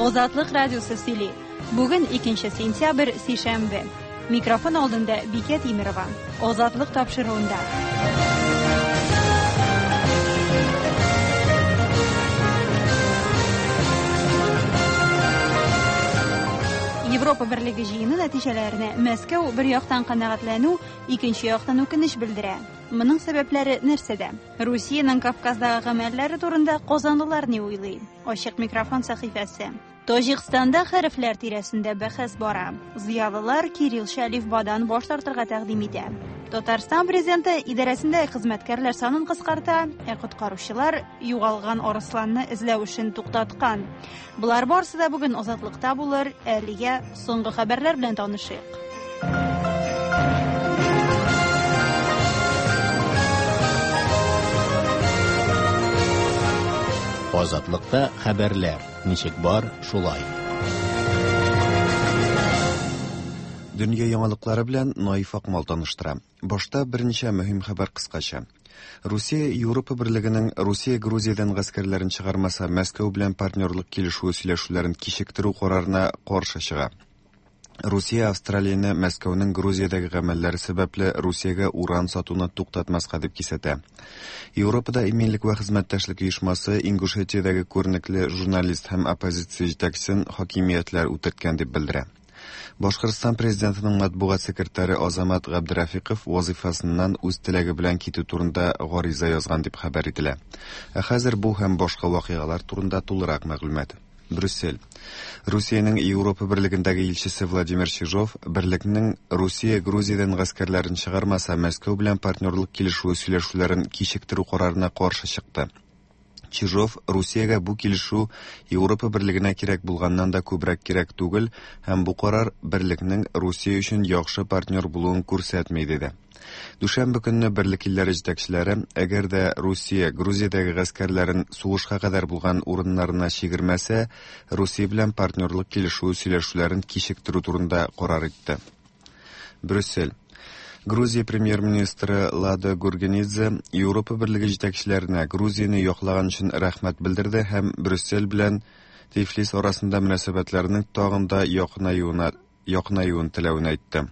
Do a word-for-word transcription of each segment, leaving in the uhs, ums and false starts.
Азатлык радиосы сөйли. Бүген икенче сентябрь, сишәмбе. Микрофон алдында Бикә Тимерова. Азатлык тапшыруында. Европа Берлеге җыены нәтиҗәләренә Мәскәү бер яктан канәгатьләнү, икенче яктан үкенеч белдерә. Моның сәбәпләре нәрсәдә? Русиянең Кавказдагы гамәлләре турында казанлылар ни уйлый? Ачык микрофон сәхифәсе. Таҗикстанда хәрефләр тирәсендә бәхәс бара. Зыялылар кириллча әлифбадан баш тартырга тәкъдим итә. Татарстан президенты идарәсендә хезмәткәрләр санын кыскарта, ә коткаручылар югалган арысланны эзләү эшен туктаткан. Болар барысы да бүген Азатлыкта булыр. Әлегә соңгы хәбәрләр белән танышыйк. Азатлыкта хәбәрләр ничек бар, шулай. Дөнья яңалыклары белән Наиф Акмал таныштыра. Башта берничә мөһим хәбәр кыскача. Русия Европа Берлегенең Русия Грузиядән гаскәрләрен чыгармаса, Мәскәү белән партнерлык килешүе сөйләшүләрен кичектерү карарына каршы чыга. Русия Австралияне Мәскәүнең Грузиядәге гамәлләре сәбәпле Русиягә уран сатуны туктатмаска дип кисәтә. Европада иминлек вә хезмәттәшлек оешмасы Ингушетиядәге күренекле журналист һәм оппозиция җитәкчесен хакимиятләр үтерткән дип белдерә. Башкортстан президентының матбугат секретаре Азамат Габдрафиков вазифасыннан үз теләге белән китү турында гариза язган дип хәбәр ителә. Ә хәзер бу һәм башка вакыйгалар турында тулырак мәгълүмат. Брюссель. Русиянең Европа Берлегендәге илчесе Владимир Чижов берлекнең Русия Грузиядән гаскәрләрен чыгармаса, Мәскәү белән партнерлык килешүе сөйләшүләрен кичектерү карарына каршы чыкты. Чижов Русиягә бу килешү Европа Берлегенә кирәк булганнан да күбрәк кирәк түгел һәм бу карар берлекнең Русия өчен яхшы партнер булуын күрсәтми диде. Дүшәмбе көнне берлек илләре җитәкчеләре, әгәр дә Русия Грузиядәге гаскәрләрен сугышка кадәр булган урыннарына чигермәсә, Русия белән партнерлык килешүе сөйләшүләрен кичектерү турында карар итте. Брюссель. Грузия премьер-министры Лада Гургенидзе Европа Берлеге җитәкчеләренә Грузияне яклаган өчен рәхмәт белдерде һәм Брюссель белән Тифлис арасында мөнәсәбәтләрнең тагын да якынаюына якынаюын теләвен әйтте.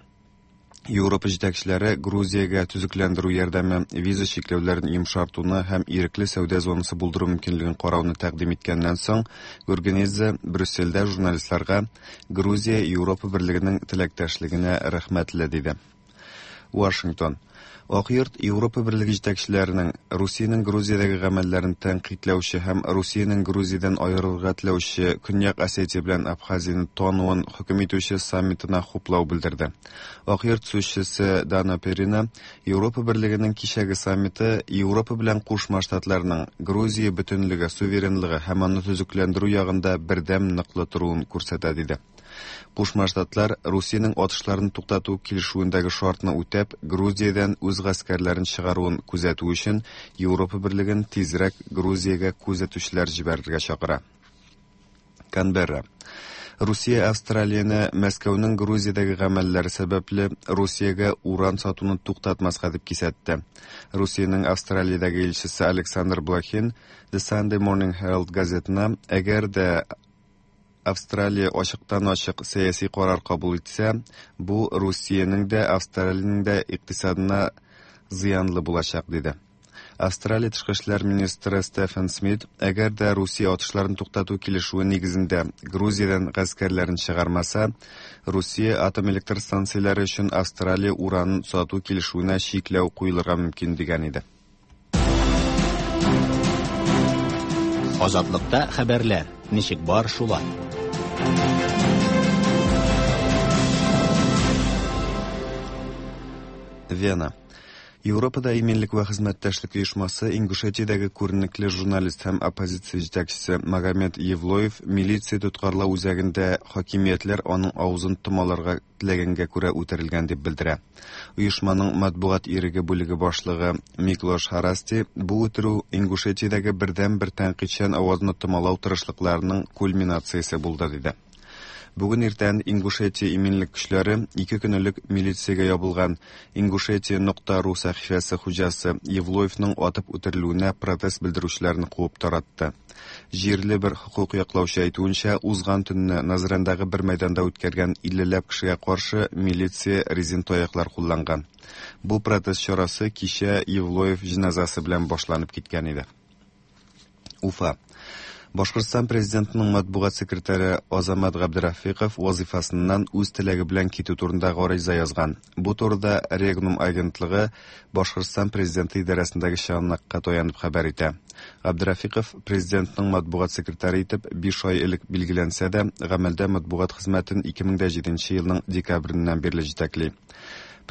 Европа җитәкчеләре Грузиягә төзекләндерү ярдәме, виза чикләүләрен йомшартуны һәм ирекле сәүдә зонасы булдыру мөмкинлеген карауны тәкъдим иткәннән соң, Гургенидзе Брюссельдә журналистларга Грузия Европа Берлегенең теләктәшлегенә рәхмәтле диде. Вашингтон. Ак йорт Европа Берлеге җитәкчеләренең Русиянең Грузиядәге гамәлләрен тәнкыйтьләүче һәм Русиянең Грузиядән аерылырга теләүче Көньяк Осетия белән Абхазияне тануын хөкем итүче саммитына хуплау белдерде. Ак йорт сүзчесе Дана Перина Европа Берлегенең кичәге саммиты Европа белән Кушма Штатларның Грузия бөтенлеге, суверенлыгы һәм аны төзекләндерү ягында бердәм ныклы торуын күрсәтә диде. Кушма Штатлар Русиянең атышларын туктату килешүендәге шартны үтәп, Грузиядән үз гаскәрләрен чыгаруын күзәтү өчен Европа Берлеген тизрәк Грузиягә күзәтүчеләр җибәрергә чакыра. Канберра. Русия Австралияне Мәскәүнең Грузиядәге гамәлләре сәбәпле Русиягә уран сатуны туктатмаска дип кисәтте. Русиянең Австралиядәге илчесе Александр Блохин The Sunday Morning Herald газетына әгәр дә Австралия ачыктан-ачык сәяси карар кабул итсә, бу Русиянең дә, Австралиянең дә икътисадына зыянлы булачак, диде. Австралия тышкы эшләр министры Стефан Смит, әгәр дә Русия атышларын туктату килешүе нигезендә Грузиядән гаскәрләрен чыгармаса, Русия атом электр станцияләре өчен Австралия уранын сату килешүенә чикләү куелырга мөмкин дигән иде. Азатлыкта хәбәрләр ничек бар, шулай. Вена. Европада иминлек вә хезмәттәшлек оешмасы Ингушетиядәге күренекле журналист һәм оппозиция җитәкчесе Магомед Евлоев милиция тоткарлау үзәгендә хакимиятләр аның авызын томаларга теләгәнгә күрә үтерелгән дип белдерә. Оешманың матбугат иреге бүлеге башлыгы Миклош Харасти бу үтерү Ингушетиядәге бердән-бер тәнкыйтьчән авазны томалау тырышлыкларының кульминациясе булды диде. Бүген иртән Ингушетия иминлек көчләре ике көн элек милициягә ябылган Ингушетия нокта ру сәхифәсе хуҗасы Евлоевның атып үтерелүенә протест белдерүчеләрне куып таратты. Җирле бер хокук яклаучы әйтүенчә, узган төнне Назрандагы бер мәйданда үткәргән иллеләп кешегә каршы милиция резин таяклар кулланган. Бу протест чарасы кичә Евлоев җеназасы белән башланып киткән иде. Уфа. Башкортстан президентының матбугат секретаре Азамат Габдрафиков вазифасыннан үз теләге белән китү турында гариза язган. Бу турыда Регнум агентлыгы Башкортстан президенты идарәсендәге чыганакка таянып хәбәр итә. Габдрафиков президентның матбугат секретаре итеп биш ай элек билгеләнсә дә, гамәлдә матбугат хезмәтен ике мең дә җиденче елның декабреннән бирле җитәкли.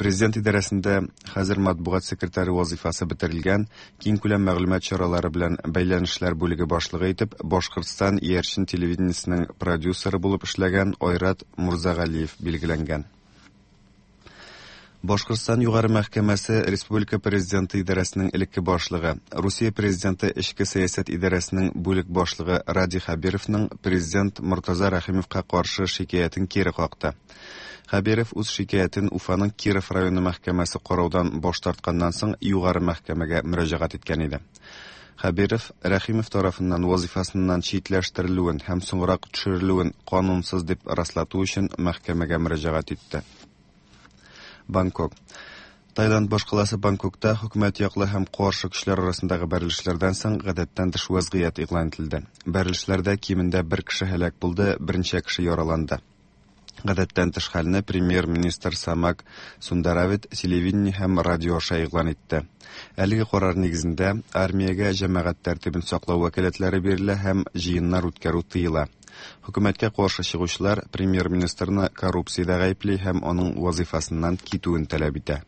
Президент идарәсендә хәзер матбугат секретаре вазифасы бетерелгән, киң күләм мәгълүмат чаралары белән бәйләнешләр бүлеге башлыгы итеп Башкортстан иярчен телевидениесенең продюсеры булып эшләгән Айрат Мурзагалиев билгеләнгән. Башкортстан Югары мәхкәмәсе Республика Президенты идарәсенең элекке башлыгы, Русия Президенты эчке сәясәт идарәсенең бүлек башлыгы Радий Хәбировның президент Мортаза Рәхимовка каршы шикаятен кире какты. Хәбиров үз шикаятен Уфаның Киров районы мәхкәмәсе караудан баш тартканнан соң Югары мәхкәмәгә мөрәҗәгать иткән иде. Хәбиров Рәхимов тарафыннан вазифасыннан читләштерелүен һәм соңрак төшерелүен канунсыз дип раслату өчен мәхкәмәгә мөрәҗәгать итте. Бангкок. Таиланд башкаласы Бангкокта хөкүмәт яклы һәм каршы көчләр арасындагы бәрелешләрдән соң гадәттән тыш вазгыять игълан ителде. Бәрелешләрдә кимендә бер кеше һәлак булды, берничә кеше яраланды. Гадәттән тыш хәлне премьер-министр Самак Сундаравит телевидение һәм радио аша игълан итте. Әлеге карар нигезендә армиягә җәмәгать тәртибен саклау вәкаләтләре бирелә һәм җыеннар үткәрү тыела. Хөкүмәткә каршы чыгучылар премьер-министрны коррупциядә гаепли һәм аның вазифасыннан китүен таләп итә.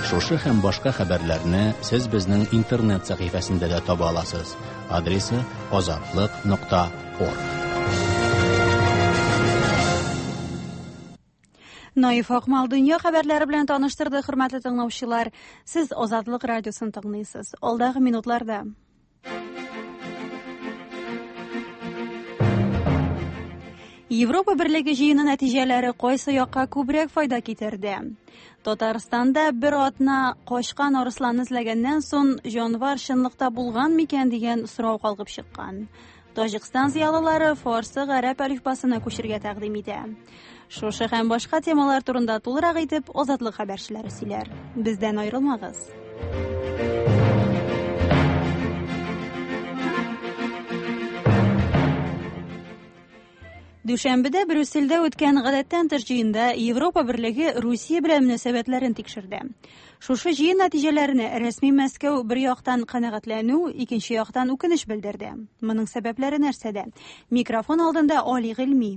Шушы һәм башка хәбәрләрне сез безнең интернет сәхифәсендә дә таба аласыз. Адресы азатлык нокта орг. Наиф Акмал дөнья хәбәрләре белән таныштырды, хөрмәтле тыңлаучылар. Сез Азатлык радиосын тыңлыйсыз. Алдагы минутларда Европа Берлеге җыены нәтиҗәләре кайсы якка күбрәк файда китерде? Татарстанда бер атна качкан арысланны эзләгәннән соң җанвар чынлыкта булган микән дигән сорау калкып чыккан. Таҗикстан зыялылары фарсы гарәп әлифбасына күчергә тәкъдим итә. Шушы һәм башка темалар турында тулырак итеп Азатлык хәбәрчеләре сөйләр. Бездән аерылмагыз. Дүшәмбедә Брюссельдә үткән гадәттән тыш җыенда Европа Берлеге Русия белән мөнәсәбәтләрен тикшерде. Шушы җыен нәтиҗәләренә рәсми Мәскәү бер яктан канәгатьләнү, икенче яктан үкенеч белдерде. Моның сәбәпләре нәрсәдә? Микрофон алдында Али Гыйльми.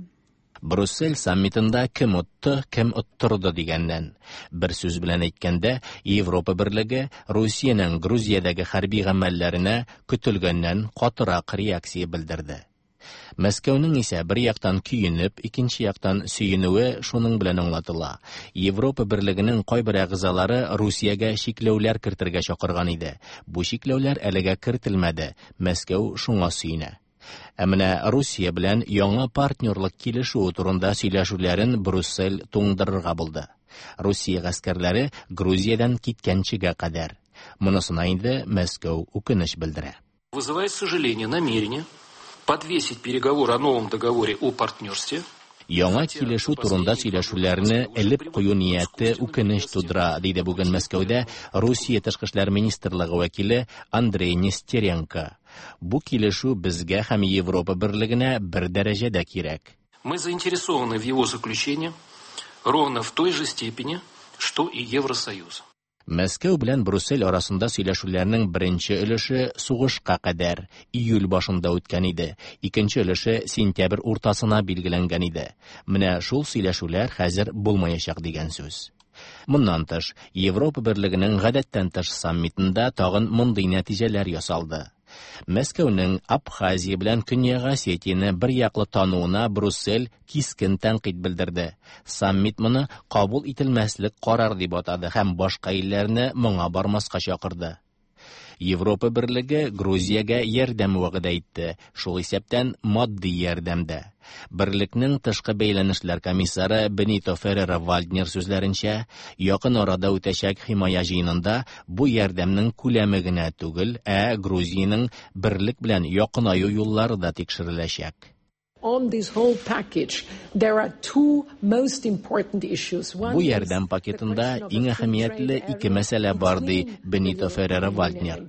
Брюссель саммитында кем отты, кем оттырды дигәннән. Бер сүз белән әйткәндә, Европа Берлеге Русиянең Грузиядәге хәрби гамәлләренә көтелгәннән катырак реакция белдерде. Мәскәүнең исә бер яктан көенеп, икенче яктан сөенүе шуның белән аңлатыла. Европа Берлегенең кайбер әгъзалары Русиягә чикләүләр кертергә чакырган иде. Бу чикләүләр әлегә кертелмәде. Мәскәү шуңа сөенә. Ә менә Русия белән яңа партнерлык килешүе турында сөйләшүләрен Брюссель туңдырырга булды. Русия гаскәрләре Грузиядән киткәнчегә кадәр. Монысына инде Мәскәү үкенеч белдерә. Вызывает сожаление намерение подвесить переговоры о новом договоре о партнерстве. Яңа килешү турында сөйләшүләрне элеп кую нияте үкенеч тудыра, диде бүген Мәскәүдә Русия тышкы эшләр министрлыгы вәкиле Андрей Нестеренко. Бу килешү безгә һәм Европа Берлегенә бер дәрәҗәдә кирәк. Мы заинтересованы в его заключении ровно в той же степени, что и Евросоюз. Мәскәү белән Брюссель арасында сөйләшүләрнең беренче өлеше сугышка кадәр июль башында үткән иде. Икенче өлеше сентябрь уртасына билгеләнгән иде. Менә шул сөйләшүләр хәзер булмаячак дигән сүз. Моннан тыш, Европа Берлегенең гадәттән тыш саммитында тагын мондый нәтиҗәләр ясалды. Мәскәүнең Абхазия белән Көньяк Осетияне бер яклы тануына Брюссель кискен тәнкыйть белдерде. Саммит моны кабул ителмәслек карар дип атады һәм башка илләрне моңа бармаска чакырды. Европа Берлеге Грузиягә ярдәм вәгъдә итте, шул исәптән матди ярдәм дә. Берлекнең тышкы бәйләнешләр комиссары Бенито Феррера Вальднер сүзләренчә, якын арада үтәчәк химая җыенында бу ярдәмнең күләме генә түгел, ә Грузиянең берлек белән якынаю юллары да тикшереләчәк. On this whole package, there are two most important issues. One Бу ярдәм пакетында иң әһәмиятле ике мәсьәлә бар, ди Бенито Феррера Вальднер.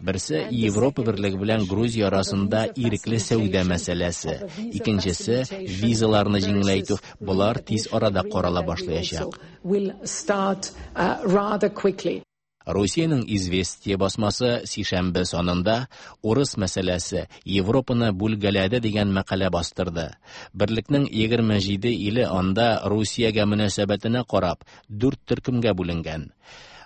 Берсе Европа Берлеге белән Грузия арасында ирекле сәүдә мәсьәләсе, икенчесе визаларны җиңеләйтү. Болар тиз арада карала башлаячак. Will start, uh, rather quickly. Русиянең «Известия» басмасы сишәмбе санында «Урыс мәсьәләсе Европаны бүлгәләде» дигән мәкалә бастырды. Берлекнең егерме җиде иле анда Русиягә мөнәсәбәтенә карап дүрт төркемгә бүленгән.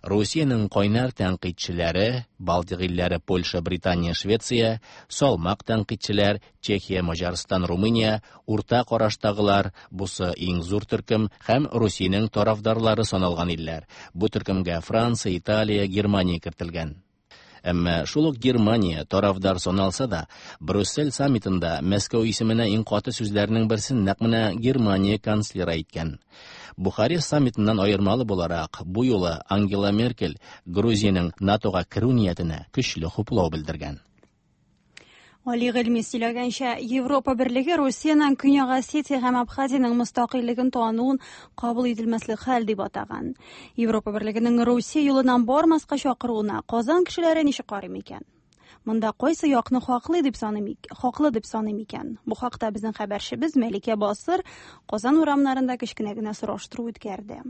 Русиянең кайнар тәнкыйтьчеләре, Балтик илләре Польша, Британия, Швеция, салмак тәнкыйтьчеләр Чехия, Маҗарстан, Румыния, урта караштагылар, бусы иң зур төркем һәм Русиянең тарафдарлары саналган илләр. Бу төркемгә Франция, Италия, Германия кертелгән. Әмма шул ук Германия тарафдар саналса да, Брюссель саммитында Мәскәү исеменә иң каты сүзләрнең берсен нәкъ менә Германия канцлеры әйткән. Бухарест саммитыннан аермалы буларак, бу юлы Ангела Меркель Грузиянең НАТОга керү ниятенә көчле хуплау белдергән. Али Гыйльми сөйләгәнчә, Европа Берлеге Русиянең Көньяк Осетия һәм Абхазиянең мөстәкыйльлеген тануын кабул ителмәслек хәл дип атаган. Европа Берлегенең Русия юлыннан бармаска чакыруына Казан кешеләре ничек карый микән? Монда кайсы якны хаклы дип саный, хаклы дип саный микән? Бу хакта безнең хәбәрчебез Мәликә Басыр Казан урамнарында кечкенә генә сораштыру үткәрде.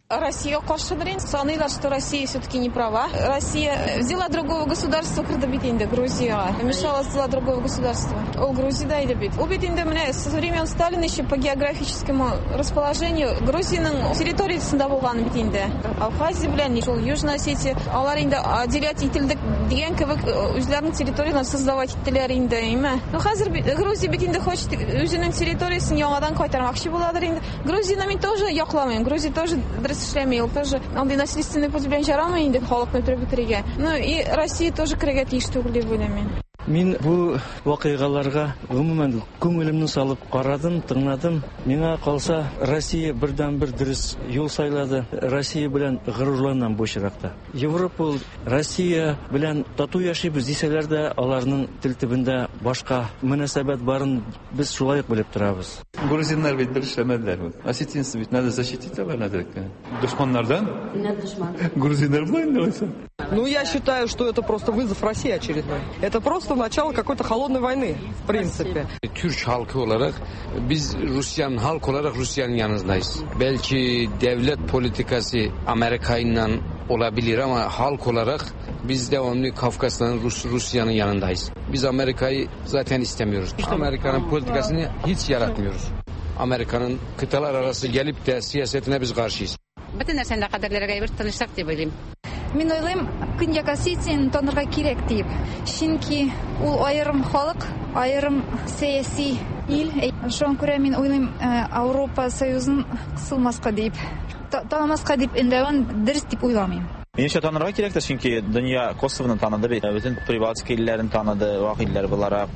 Россия каршыдыр инде. Саныйлар, что Россия все-таки не права. Россия взяла другого государства, кырды бит инде Грузияга. Мешала взяла другого государства. Ул Грузиядә иде бит. Ул бит инде менә со времен Сталина еще по географическому расположению Грузиянең территориясендә булган бит инде. Абхазия белән шул Южная Осетия, алар инде отделять ителдек дигән кебек үзләренең территориясен создавать иттеләр инде, әйме? Ну хәзер Грузия бит инде хочет үзенең территориясен яңадан кайтармакчы буладыр инде. Грузияны мин тоже якламыйм. Грузия тоже эшләми, ул тоже андый насильственный путь белән жарамый инде халыкны үтереп бетерергә. Ну и Россия тоже керергә тиеш түгел дип уйлыйм мин. Мин бу вакыйгаларга гомумән күңелемне салып карадым, тыңладым. Миңа калса, Россия бердән-бер дөрес юл сайлады. Россия белән горурланам бу очракта. Европа ул Россия белән тату яшибез дисәләр дә, аларның тел төбендә башка мөнәсәбәт барын без шулай ук белеп торабыз. Грузиннар бит бер эшләмәделәр. Осетинцы бит надо защитить алар надо. Дошманнардан? Нет, дошман. Грузиннар белән инде. Ну, я считаю, что это просто вызов России очередной. Это просто начало какой-то холодной войны, в принципе. Türk halkı olarak biz Rusya'nın halk olarak Rusya'nın yanındayız. Belki devlet politikası Amerika ile olabilir ama halk olarak biz devamlı Kafkasların Rus, Rusya'nın yanındayız. Biz Amerika'yı zaten istemiyoruz. Amerika'nın politikasını hiç yaratmıyoruz. Amerika'nın kıtalar arası gelip de siyasetine biz karşıyız. Бөтен нәрсәне дә кадерләргә бер тынычлык дип уйлыйм. Мин уйлыйм, Көньяк Осетияне танырга кирәк дип. Чөнки ул аерым халык, аерым сәяси ил. Шуңа күрә мин уйлыйм, Европа Союзын кысылмаска дип, танымаска дип өндәвен дөрес дип уйламыйм. Минемчә, танырга кирәктер, чөнки дөнья Косовоны таныды бит, бөтен Прибалтика илләрен таныды, вак илләр буларак,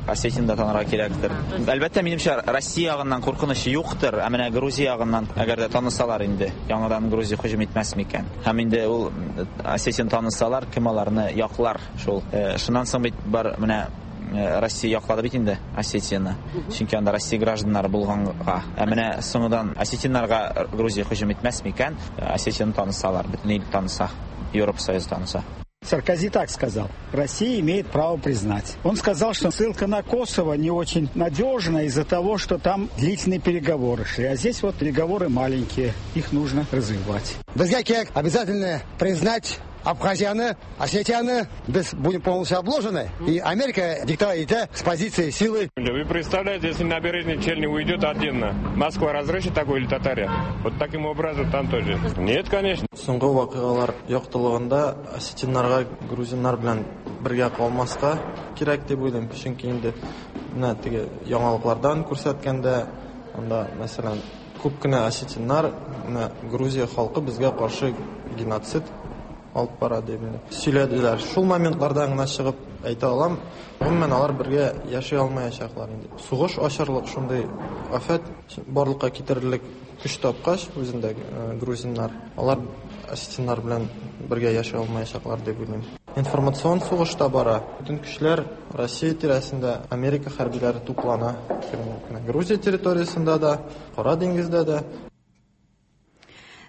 Осетияны да танырга кирәктер. Әлбәттә, минемчә, Россия ягыннан куркыныч юктыр, ә менә Грузия ягыннан, әгәр дә танысалар инде, яңадан Грузия һөҗүм итмәс микән? Һәм инде ул Осетияны танысалар, кем аларны яклар шул. Шуннан соң бит бар менә Россия яклады бит инде Осетияны. Чөнки анда Россия гражданнары булганга. Ә менә соңыннан осетиннарга Грузия һөҗүм итмәс микән? Осетияны танысалар, бөтен ил таныса, Европа Союзы таныса. Саркози так сказал: Россия имеет право признать. Он сказал, что ссылка на Косово не очень надежна из-за того, что там длительные переговоры шли. А здесь вот переговоры маленькие, их нужно развивать. Безгә кирәк обязательно признать Абхазияны, Осетияны, без будем полностью обложены. И Америка диктовать итә с позиции силы. Вы представляете, если набережный Челны уйдет отдельно, Москва разрушит такой или Татария? Вот таким образом там тоже. Нет, конечно. Соңгы вакыйгалар яктылыгында осетиннарга грузиннар белән бергә калмаска кирәк дип уйлыйм. Чөнки инде менә теге яңалыклардан күрсәткәндә, анда, мәсәлән, күп кенә осетиннар, менә Грузия халкы безгә каршы геноцид алып бара дип инде сөйләделәр. Шул моментлардан гына чыгып әйтә алам, гомумән алар бергә яши алмаячаклар инде. Сугыш ачарлык шундый афәт барлыкка китерерлек көч тапкач үзендә грузиннар, алар осетиннар белән бергә яши алмаячаклар дип уйлыйм. Информацион сугыш та бара. Бөтен көчләр Россия тирәсендә, Америка хәрбиләре туплана. Грузия территориясендә дә, Кара диңгездә дә.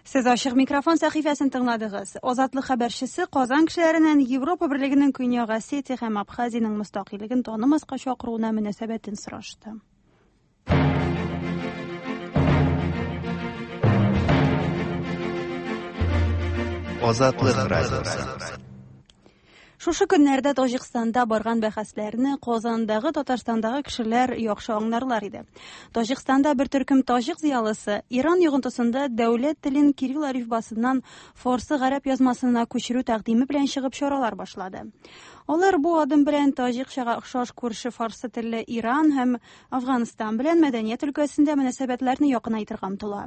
Сез Ачык микрофон сәхифәсен тыңладыгыз. Азатлык хәбәрчесе Казан кешеләреннән Европа Берлегенең Көньяк Осетия һәм Абхазиянең мөстәкыйльлеген танымаска чакыруына мөнәсәбәтен сорашты. Азатлык радиосы. Шушы көннәрдә Таҗикстанда барган бәхәсләрне Казандагы, Татарстандагы кешеләр яхшы аңларлар иде. Таҗикстанда бер төркем таҗик зыялысы Иран йогынтысында дәүләт телен кирилл алифбасыннан фарсы гарәп язмасына күчерү тәкъдиме белән чыгып чаралар башлады. Алар бу адым белән таҗикчага охшаш күрше фарсы телле Иран һәм Афганстан белән мәдәният өлкәсендә мөнәсәбәтләрне якынайтырга омтыла.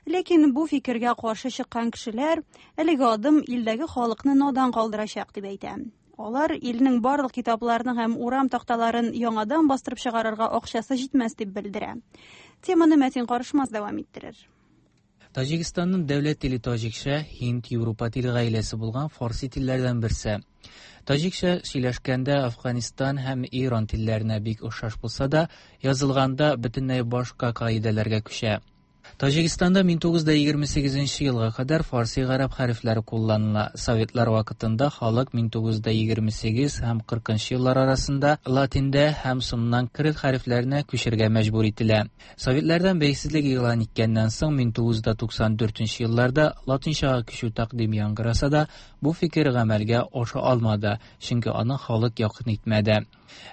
Ләкин бу фикергә каршы чыккан кешеләр әлеге адым илдәге халыкны надан калдырачак дип әйтә. Алар илнең барлык китапларын һәм урам такталарын яңадан бастырып чыгарырга акчасы җитмәс дип белдерә. Теманы Мәтин Карышмас дәвам иттерер. Таҗикстанның дәүләт теле таҗикча, Һинд, Европа тел гаиләсе булган фарси телләрдән берсе. Таҗикча сөйләшкәндә Афганистан һәм Иран телләренә бик охшаш булса да, язылганда бөтенләй башка кагыйдәләргә күчә. Таҗикстанда мең тугыз йөз егерме сигезенче елга кадәр фарси гарәп хәрефләре кулланыла. Советлар вакытында халык мең тугыз йөз егерме сигез һәм кыркынчы еллар арасында латинда һәм соңыннан кирилл хәрефләренә күчергә мәҗбүр ителә. Советлардан бәйсезлек игълан иткәннән соң мең тугыз йөз туксан дүртенче елларда латинчага күчү тәкъдиме яңгыраса да, бу фикер гамәлгә аша алмады, чөнки аны халык якын итмәде.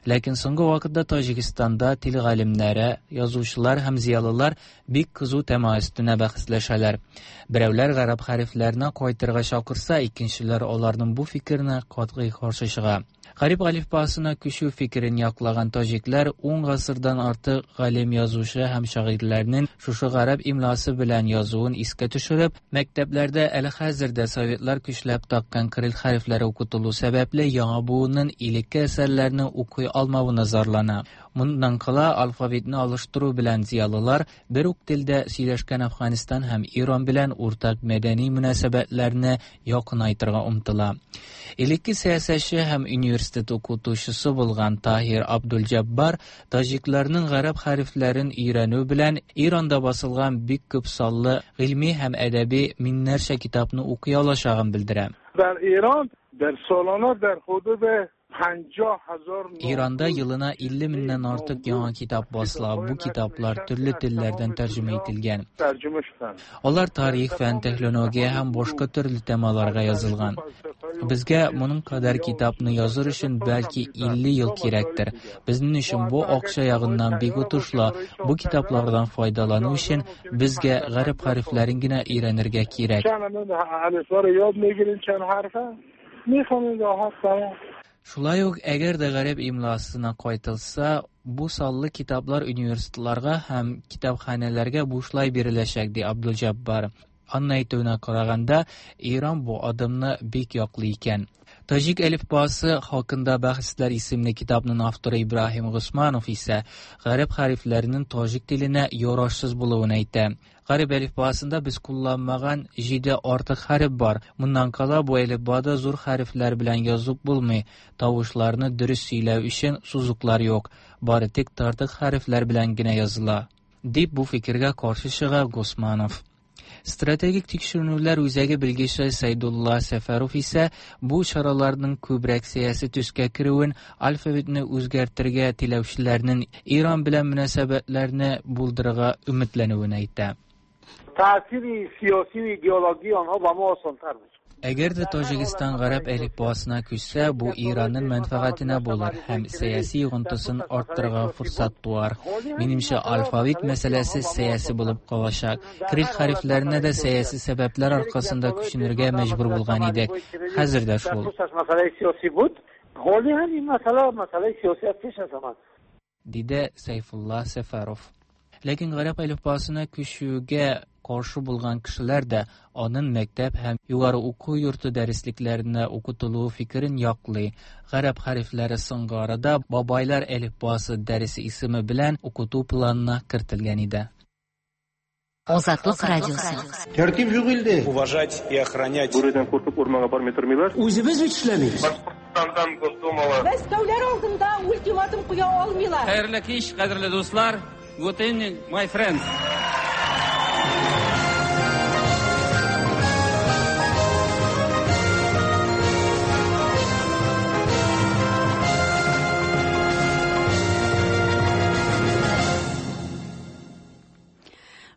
Ләкин соңгы вакытта Таҗикстанда тел галимнәре, язучылар һәм зыялылар бик кызу тема өстенә бәхәсләшәләр. Берәүләр гарәп хәрефләренә кайтырга чакырса, икенчеләр аларның бу фикеренә катгый каршы чыга. Гарәп әлифбасына күчү фикерен яклаган таҗикләр ун гасырдан артык галим, язучы һәм шагыйрьләрнең шушы гарәп имласы белән язуын искә төшереп, мәктәпләрдә әле хәзер дә советлар көчләп таккан кирилл хәрефләре укытылу сәбәпле яңа буынның элекке әсәрләрне укый алмавына зарлана. Моннан кала алфавитны алыштыру белән зыялылар бер үк телдә сөйләшкән Афганистан һәм Иран белән уртак мәдәни мөнәсәбәтләрне якынайтырга омтыла. Элекке сәясәтче һәм университет укытучысы булган Таһир Абдулҗаббар таҗикларның гарәп хәрефләрен өйрәнү белән Иранда басылган бик күп саллы гыйльми һәм әдәби меңнәрчә китапны укый алачагын белдерә. Дар Иран дар солона дар худуд Иранда елына илле меңнән артык яңа китап басыла. Бу китаплар төрле телләрдән тәрҗемә ителгән. Алар тарих, фән, технология һәм башка төрле темаларга язылган. Безгә моның кадәр китапны языр өчен бәлки илле ел кирәктер. Безнең өчен бу акча ягыннан бик отышлы. Бу китаплардан файдалану өчен безгә гарәп хәрефләрен генә өйрәнергә кирәк. Шулай ук, әгәр дә гарәп имласына кайтылса, бу саллы китаплар университетларга һәм китапханәләргә бушлай биреләчәк, ди Абдулҗаббар. Аның әйтүенә караганда, Иран бу адымны бик яклый икән. Таҗик әлифбасы хакында бәхәсләр исемле китапның авторы Ибраһим Госманов исә гарәп хәрефләренең таҗик теленә ярашсыз булуын әйтә. Гарәп әлифбасында без кулланмаган җиде артык хәреф бар. Моннан кала бу әлифбада зур хәрефләр белән язып булмый. Тавышларны дөрес сөйләү өчен сузыклар юк. Бары тик тартык хәрефләр белән генә языла, дип бу фикергә каршы чыга Госманов. Стратегик тикшеренүләр үзәге белгече Сайдулла Сәфәров исә бу чараларның күбрәк сәяси төскә керүен, алфавитны үзгәртергә теләүчеләрнең Иран белән мөнәсәбәтләрне булдырырга өметләнүен әйтә. Тәэсири сияси ва идеологии онҳо ба мо осонтар мешавад. Әгәр дә Таҗикстан гарәп әлифбасына күчсә, бу Иранның мәнфәгатенә булыр һәм сәяси йогынтысын арттырырга форсат туар. Минемчә, алфавит мәсьәләсе сәяси булып калачак. Кирилл хәрефләренә дә сәяси сәбәпләр аркасында күченергә мәҗбүр булган идек. Хәзер дә шул. Диде Сайфулла Сәфәров. Ләкин гарәп әлифбасына күчүгә каршы булган кешеләр дә аның мәктәп һәм югары уку йорты дәреслекләренә укытылуы фикерен яклый. Гарәп хәрефләре соңгы арада бабайлар әлифбасы дәресе исеме белән укыту планына кертелгән иде. Азатлык радиосы. Тәртип юк илдә. Уважать и охранять. Бүредән куркып урманга бармый тормыйлар. Үзебез бит эшләмибез. Башкортстандан Госдумала. Мәскәүләр алдында ультиматум куя алмыйлар. Хәерле кич, кадерле дуслар. Good evening, my friends.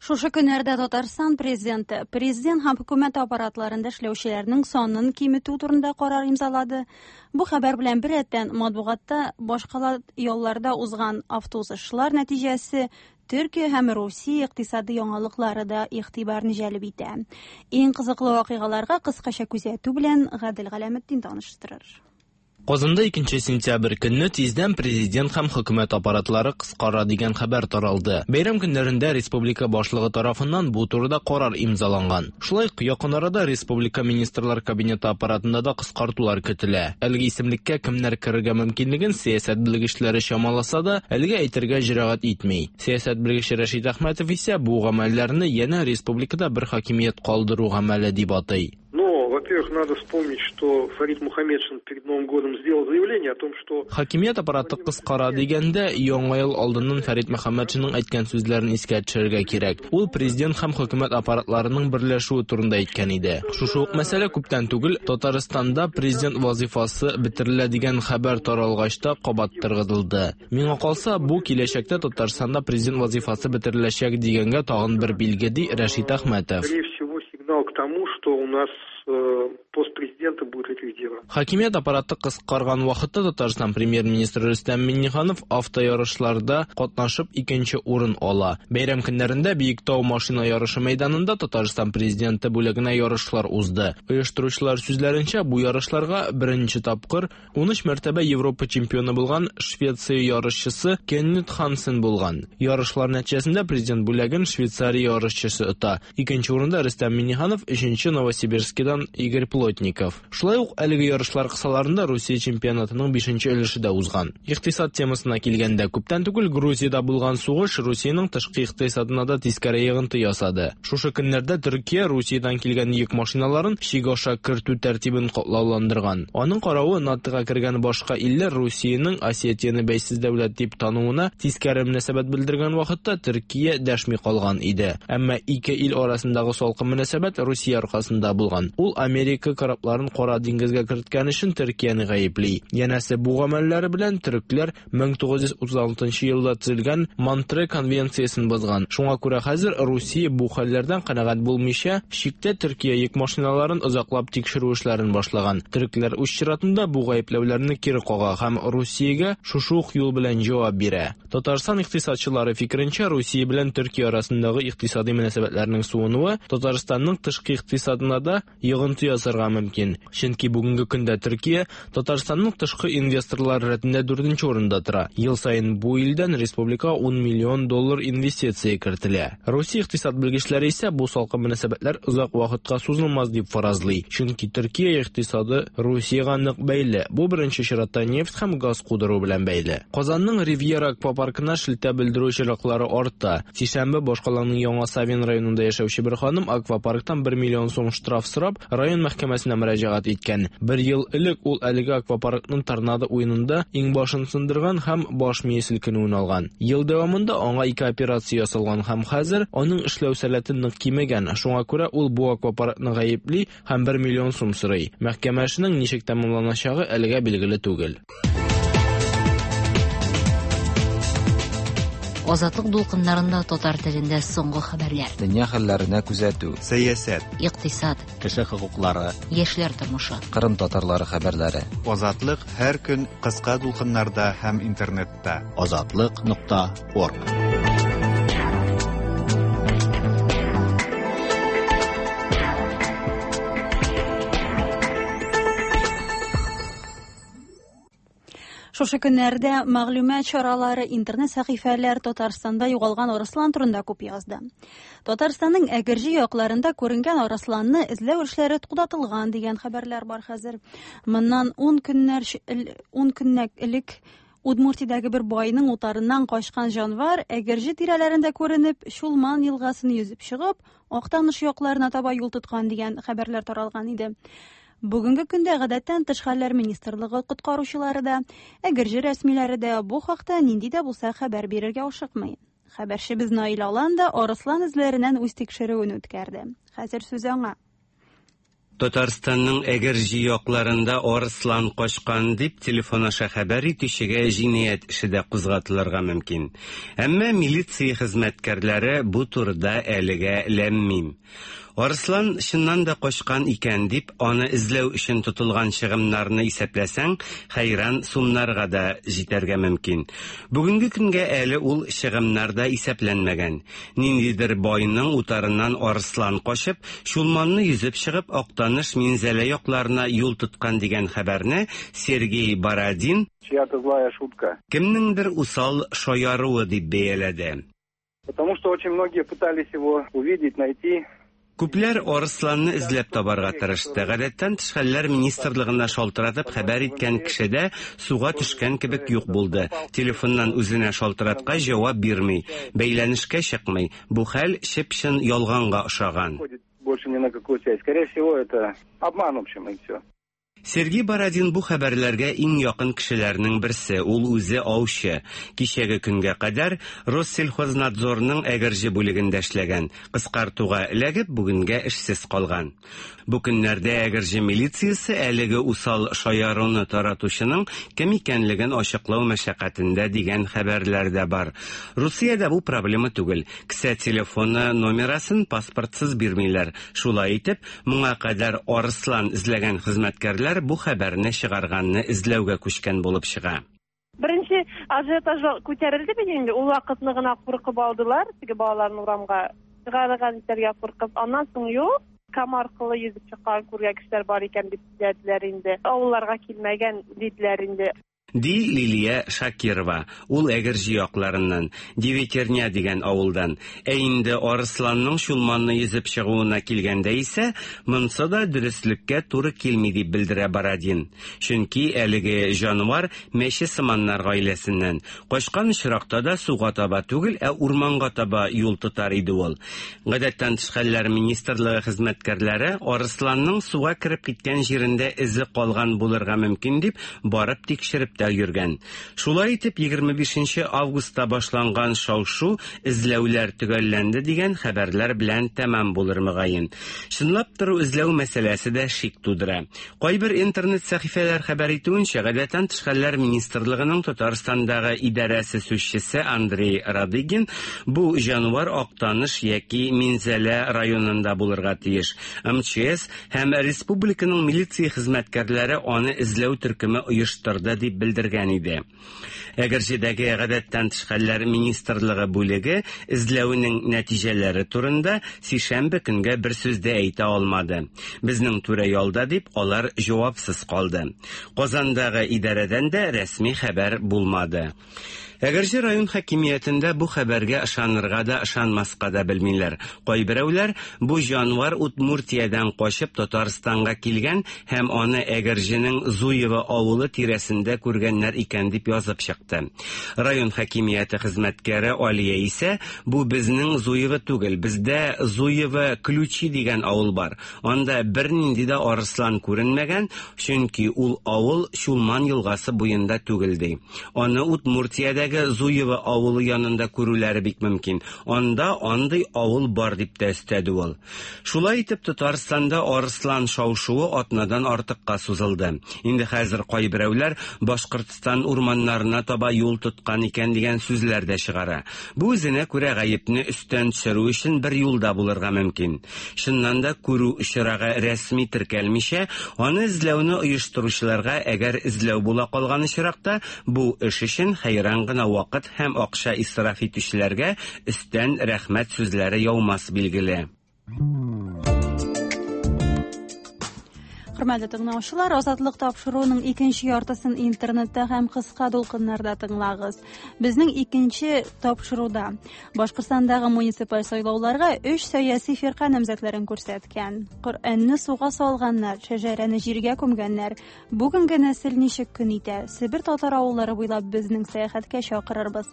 Шушы көннәрдә Татарстан президенты президент һәм хөкүмәт аппаратларында эшләүчеләрнең санын киметү турында карар имзалады. Бу хәбәр белән бер рәттән матбугатта башкала ялларда узган автоузышлар нәтиҗәсе, Төркия һәм Русия икътисады яңалыклары да игътибарны җәлеп итә. Иң кызыклы вакыйгаларга кыскача күзәтү белән Гадел Галәметдин таныштырыр. Казанда икенче сентябрь көнне тиздән президент һәм хөкүмәт аппаратлары кыскара дигән хәбәр таралды. Бәйрәм көннәрендә республика башлыгы тарафыннан бу турыда карар имзаланган. Шулай ук якын арада республика министрлар кабинеты аппаратында да кыскартулар көтелә. Әлеге исемлеккә кемнәр керергә мөмкинлеген сәясәт белгечләре чамаласа да, әлегә әйтергә җөрәгать итми. Сәясәт белгече Рәшит Әхмәтов исә бу гамәлләрне янә республикада бер хакимият калдыру гамәле дип атый. Но, во-первых, надо вспомнить, что Фарид Мухаметшин перед Новым годом сделал заявление о том, что... Хакимият аппараты кыскара дигәндә, яңа ел алдыннан Фәрит Мөхәммәтшинның әйткән сүзләрен искә төшерергә кирәк. Ул президент һәм хөкүмәт аппаратларының берләшүе турында әйткән иде. Шушы ук мәсьәлә күптән түгел Татарстанда президент вазифасы бетерелә дигән хәбәр таралгач та кабат торгызылды. Миңа калса, бу киләчәктә Татарстанда президент вазифасы бетереләчәк дигәнгә тагын бер билге, ди Рәшит Әхмәтов. Скорее всего, сигнал к тому, что у нас пост президента будет ликвидирован. Хакимият аппараты кыскарган вакытта Татарстан премьер-министры Рөстәм Миңнеханов автоярышларда катнашып икенче урын ала. Бәйрәм көннәрендә Биектау машина ярышы мәйданында Татарстан президенты бүләгенә ярышлар узды. Оештыручылар сүзләренчә, бу ярышларга беренче тапкыр ун өч мәртәбә Европа чемпионы булган Швеция ярышчысы Кеннет Хансен булган. Ярышлар нәтиҗәсендә президент бүләген Швейцария ярышчысы ота. Икенче урында Рөстәм Миңнеханов, өченче Новосибирскидан Игорь Плотников. Шулай ук әлеге ярышлар кысаларында Русия чемпионатының бишенче өлеше дә узган. Икътисад темасына килгәндә, күптән түгел Грузиядә булган сугыш Русиянең тышкы икътисадына да тискәре йогынты ясады. Шушы көннәрдә Төркия Русиядән килгән йөк машиналарын чик аша кертү тәртибен катлауландырган. Аның каравы НАТОга кергән башка илләр Русиянең Осетияне бәйсез дәүләт дип тануына тискәре мөнәсәбәт белдергән вакытта Төркия дәшми калган иде. Әмма ике ил арасындагы салкын мөнәсәбәт Русия аркасында булган. Ул Америка корабларын Кара диңгезгә керткән өчен Төркияне гаепли. Янәсе, бу гамәлләре белән төрекләр мең тугыз йөз утыз алтынчы елда төзелгән Монтре конвенциясен бозган. Шуңа күрә хәзер Русия бу хәлләрдән канәгать булмыйча, чиктә Төркия йөк машиналарын озаклап тикшерү эшләрен башлаган. Төрекләр үз чиратында бу гаепләүләрне кире кага һәм Русиягә шушы ук юл белән җавап бирә. Татарстан икътисадчылары фикеренчә, Русия белән Төркия арасындагы икътисади мөнәсәбәтләрнең суынуы Татарстанның тышкы икътисадына да йогынты ясарга мөмкин. Чөнки бүгенге көндә Төркия Татарстанның тышкы инвесторлар рәтендә дүртенче урында тора. Ел саен бу илдән республикага ун миллион доллар инвестиция кертелә. Русия икътисад белгечләре исә бу салкын мөнәсәбәтләр озак вакытка сузылмас дип фаразлый. Чөнки Төркия икътисады Русиягә нык бәйле. Бу беренче чиратта нефть һәм газ кудыру белән бәйле. Казанның Ривьера аквапаркына шелтә белдерү очраклары арта. Сишәмбе башкаланың Яңа Савин районында яшәүче бер ханым аквапарктан бер миллион сум штраф сорап район мәхкәмәсенә мөрәҗәгать иткән. Бер ел элек ул әлеге аквапаркның торнадо уенында иңбашын сындырган һәм баш мие селкенүен алган. Ел дәвамында аңа ике операция ясалган һәм хәзер аның эшләү сәләте нык кимегән. Шуңа күрә ул бу аквапаркны гаепли һәм бер миллион сум сорый. Мәхкәмә эшенең ничек тәмамланачагы әлегә билгеле түгел. Азатлык дулкыннарында татар телендә соңгы хәбәрләр. Дөнья хәлләренә күзәтү, сәясәт, икътисад, кеше хокуклары, яшьләр тормышы, Кырым татарлары хәбәрләре. Азатлык һәр көн кыска дулкыннарда һәм интернетта. Азатлык нокта орг. Шушы көннәрдә мәгълүмат чаралары, интернет сәхифәләр Татарстанда югалган арыслан турында күп язды. Татарстанның Әгерҗе якларында күренгән арысланны эзләү эшләре туктатылган дигән хәбәрләр бар хәзер. Моннан ун көннәр ун көннәк элек Удмуртиядәге бер байның утарыннан качкан җанвар Әгерҗе тирәләрендә күренеп, Чулман елгасын йөзеп чыгып, Актаныш якларына таба юл тоткан дигән хәбәрләр таралган иде. Бүгенге көндә гадәттән тыш хәлләр министрлыгы коткаручылары да, Әгерҗе рәсмиләре дә бу хакта нинди дә булса хәбәр бирергә ашыкмый. Хәбәрчебез Наил Алан да арыслан эзләреннән үз тикшерүен үткәрде. Хәзер сүз аңа. Татарстанның Әгерҗе якларында арыслан качкан дип телефон аша хәбәр итүчегә җинаять эше дә кузгатылырга мөмкин. Әмма милиция хезмәткәрләре бу турыда әлегә ләм-мим. Арыслан чыннан да качкан икән дип, аны эзләү өчен тотылган чыгымнарны исәпләсәң, хәйран сумнарга да җитәргә мөмкин. Бүгенге көнгә әле ул чыгымнар да исәпләнмәгән. Ниндидер байның утарыннан арыслан качып, Чулманны йөзеп чыгып, Актаныш Минзәлә якларына юл тоткан дигән хәбәрне Сергей Бородин чья-то злая шутка. Кемнеңдер усал шаяруы дип бәяләде. Потому что очень многие пытались его увидеть, найти. Күпләр арысланны эзләп табарга тырышты. Гадәттән тыш хәлләр министрлыгына шалтыратып хәбәр иткән кеше дә суга төшкән кебек юк булды. Телефоннан үзенә шалтыраткач җавап бирми, бәйләнешкә чыкмый. Бу хәл чып-чын ялганга охшаган. Больше ни на какую связь. Скорее всего, это обман, в общем, и все. Сергей Бородин бу хәбәрләргә иң якын кешеләрнең берсе, ул үзе аучы. Кичәге көнгә кадәр Россельхознадзорның Әгерҗе бүлегендә эшләгән, кыскартуга эләгеп бүгенгә эшсез калган. Бу көннәрдә Әгерҗе милициясе әлеге усал шаяруны таратучының кем икәнлеген ачыклау мәшәкатендә дигән хәбәрләр дә бар. Русиядә бу проблема түгел. Кесә телефоны номерасын паспортсыз бирмиләр. Шулай итеп, моңа кадәр арыслан эзләгән хезмәткәрләр бу хәбәрне чыгарганны эзләүгә күчкән булып чыга. Беренче ажиотаж күтәрелде бит инде, ул вакытны гына куркып алдылар, теге балаларны урамга чыгарырга итәргә куркып. Аннан соң юк, Кама аркылы йөзеп чыккан күргән кешеләр бар икән дип сөйләделәр инде. Авылларга килмәгән диделәр инде. Ди Лилия Шакирова, ул Әгерҗе якларыннан, Девятерня дигән авылдан. Ә инде арысланның Чулманны йөзеп чыгуына килгәндә исә, монсы да дөреслеккә туры килми дип белдерә Бородин. Чөнки әлеге җанвар мәче сыманнар гаиләсеннән. Качкан очракта да суга таба түгел, ә урманга таба юл тотар иде ул. Гадәттән тыш хәлләр министрлыгы хезмәткәрләре арысланның суга кереп киткән җирендә эзе калган булырга мөмкин дип барып тикшереп тә йөргән. Шулай итеп егерме бишенче августта башланган шау-шу эзләүләр төгәлләнде дигән хәбәрләр белән тәмам булыр мөгаен. Чынлап тору эзләү мәсьәләсе дә шик тудыра. Кайбер интернет сәхифәләр хәбәр итүенчә, гадәттән тыш хәлләр министрлыгының Татарстандагы идарәсе сүзчесе Андрей Радыгин бу җанвар Актаныш яки Минзәлә районында булырга тиеш. Эм Че Эс һәм республиканың милиция хезмәткәрләре аны эзләү төркеме оештырды дип белдергән иде. Әгерҗедәге гадәттән тыш хәлләр министрлыгы бүлеге эзләүнең нәтиҗәләре турында сишәмбе көнгә бер сүз дә әйтә алмады. Безнең түрә ялда дип алар җавапсыз калды. Казандагы идарәдән дә рәсми хәбәр булмады. Әгерҗе район хакимиятендә бу хәбәргә ышанырга да, ышанмаска да белмиләр. Кайберәүләр бу җанвар Удмуртиядән качып Татарстанга килгән һәм аны Әгерҗенең Зуево авылы тирәсендә күргәннәр икән дип язып чыкты. Район хакимияте хезмәткәре Алия исә бу безнең Зуево түгел, бездә Зуево Ключи дигән авыл бар. Анда бернинди дә арыслан күренмәгән, чөнки ул авыл Чулман елгасы буенда түгел ди. Аны Удмуртиядә Зуево авылы янында күрүләре бик мөмкин. Анда андый авыл бар дип тә өстәде ул. Шулай итеп Татарстанда арыслан шау-шуы атнадан артыкка сузылды. Инде хәзер кайберәүләр Башкортстан урманнарына таба юл тоткан икән дигән сүзләр дә чыгара. Бу үзенә күрә гаепне өстән төшерү өчен бер юлда булырга мөмкин. Чыннан да күрү очрагы рәсми теркәлмичә, аны эзләүне оештыручыларга әгәр эзләү була калган очракта, бу эш өчен хәйран гына вакыт һәм акча исраф итүчеләргә өстән рәхмәт сүзләре яумас билгеле. Хөрмәтле тыңлаучылар, Азатлык тапшыруының икенче яртысын интернетта һәм кыска дулкыннарда тыңлагыз. Безнең икенче тапшыруда Башкортстандагы муниципаль сайлауларга өч сәяси фирка намзәтләрен күрсәткән. Коръәнне суга салганнар, шәҗәрәне җиргә күмгәннәр. Бүгенге нәсел ничек көн итә? Себер татар авыллары буйлап безнең сәяхәткә чакырырбыз.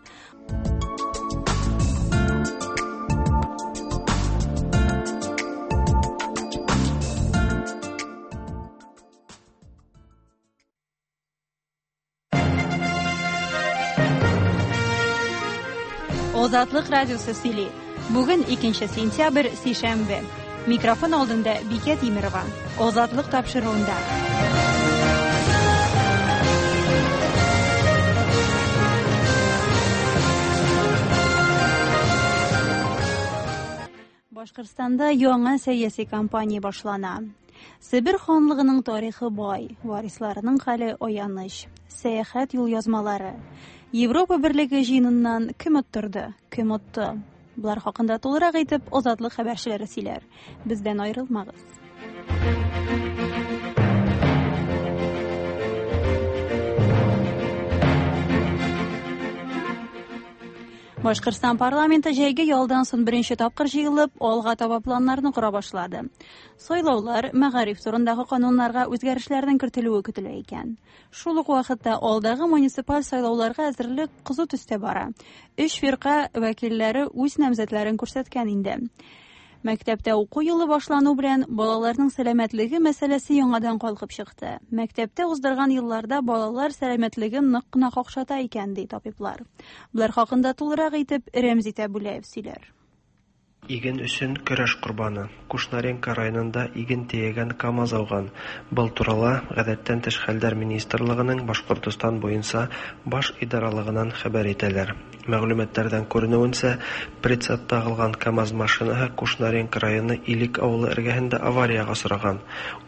Азатлык радиосы сөйли. Бүген икенче сентябрь, сишәмбе. Микрофон алдында Бикә Тимирова. Азатлык тапшыруында. Башкортстанда яңа сәяси кампания башлана. Себер ханлыгының тарихы бай, варисларының хәле аяныч. Сәяхәт юлъязмалары. Европа Берлеге җыеныннан кем оттырды, кем отты? Булар хакында тулырак итеп Азатлык хәбәрчеләре сөйләр. Бездән аерылмагыз. Башкортстан парламенты җәйге ялдан соң беренче тапкыр җыелып, алга таба планнарны кора башлады. Сайлаулар, мәгариф турындагы кануннарга үзгәрешләрнең кертелүе көтелә икән. Шул ук вакытта алдагы муниципаль сайлауларга әзерлек кызу төстә бара. Өч фирка вәкилләре үз намзәтләрен күрсәткән инде. Мәктәптә уку елы башлану белән балаларның сәламәтлеге мәсьәләсе яңадан калкып чыкты. Мәктәптә уздырган елларда балалар сәламәтлеген нык кына какшата икән, ди табиблар. Булар хакында тулырак итеп Рәмзи Тәбүләев сөйләр. Иген өчен көрәш корбаны. Кушнаренко районында иген төягән КАМАЗ ауган. Был турала Гадәттән тыш хәлләр министрлыгының Башкортостан буенча баш идаралыгынан хәбәр итәләр. Мәгълүматлардан күренүенчә, прицеп тагылган КАМАЗ машинаһы Кушнаренко районы Илек авылы эргәһендә авариягә осраган.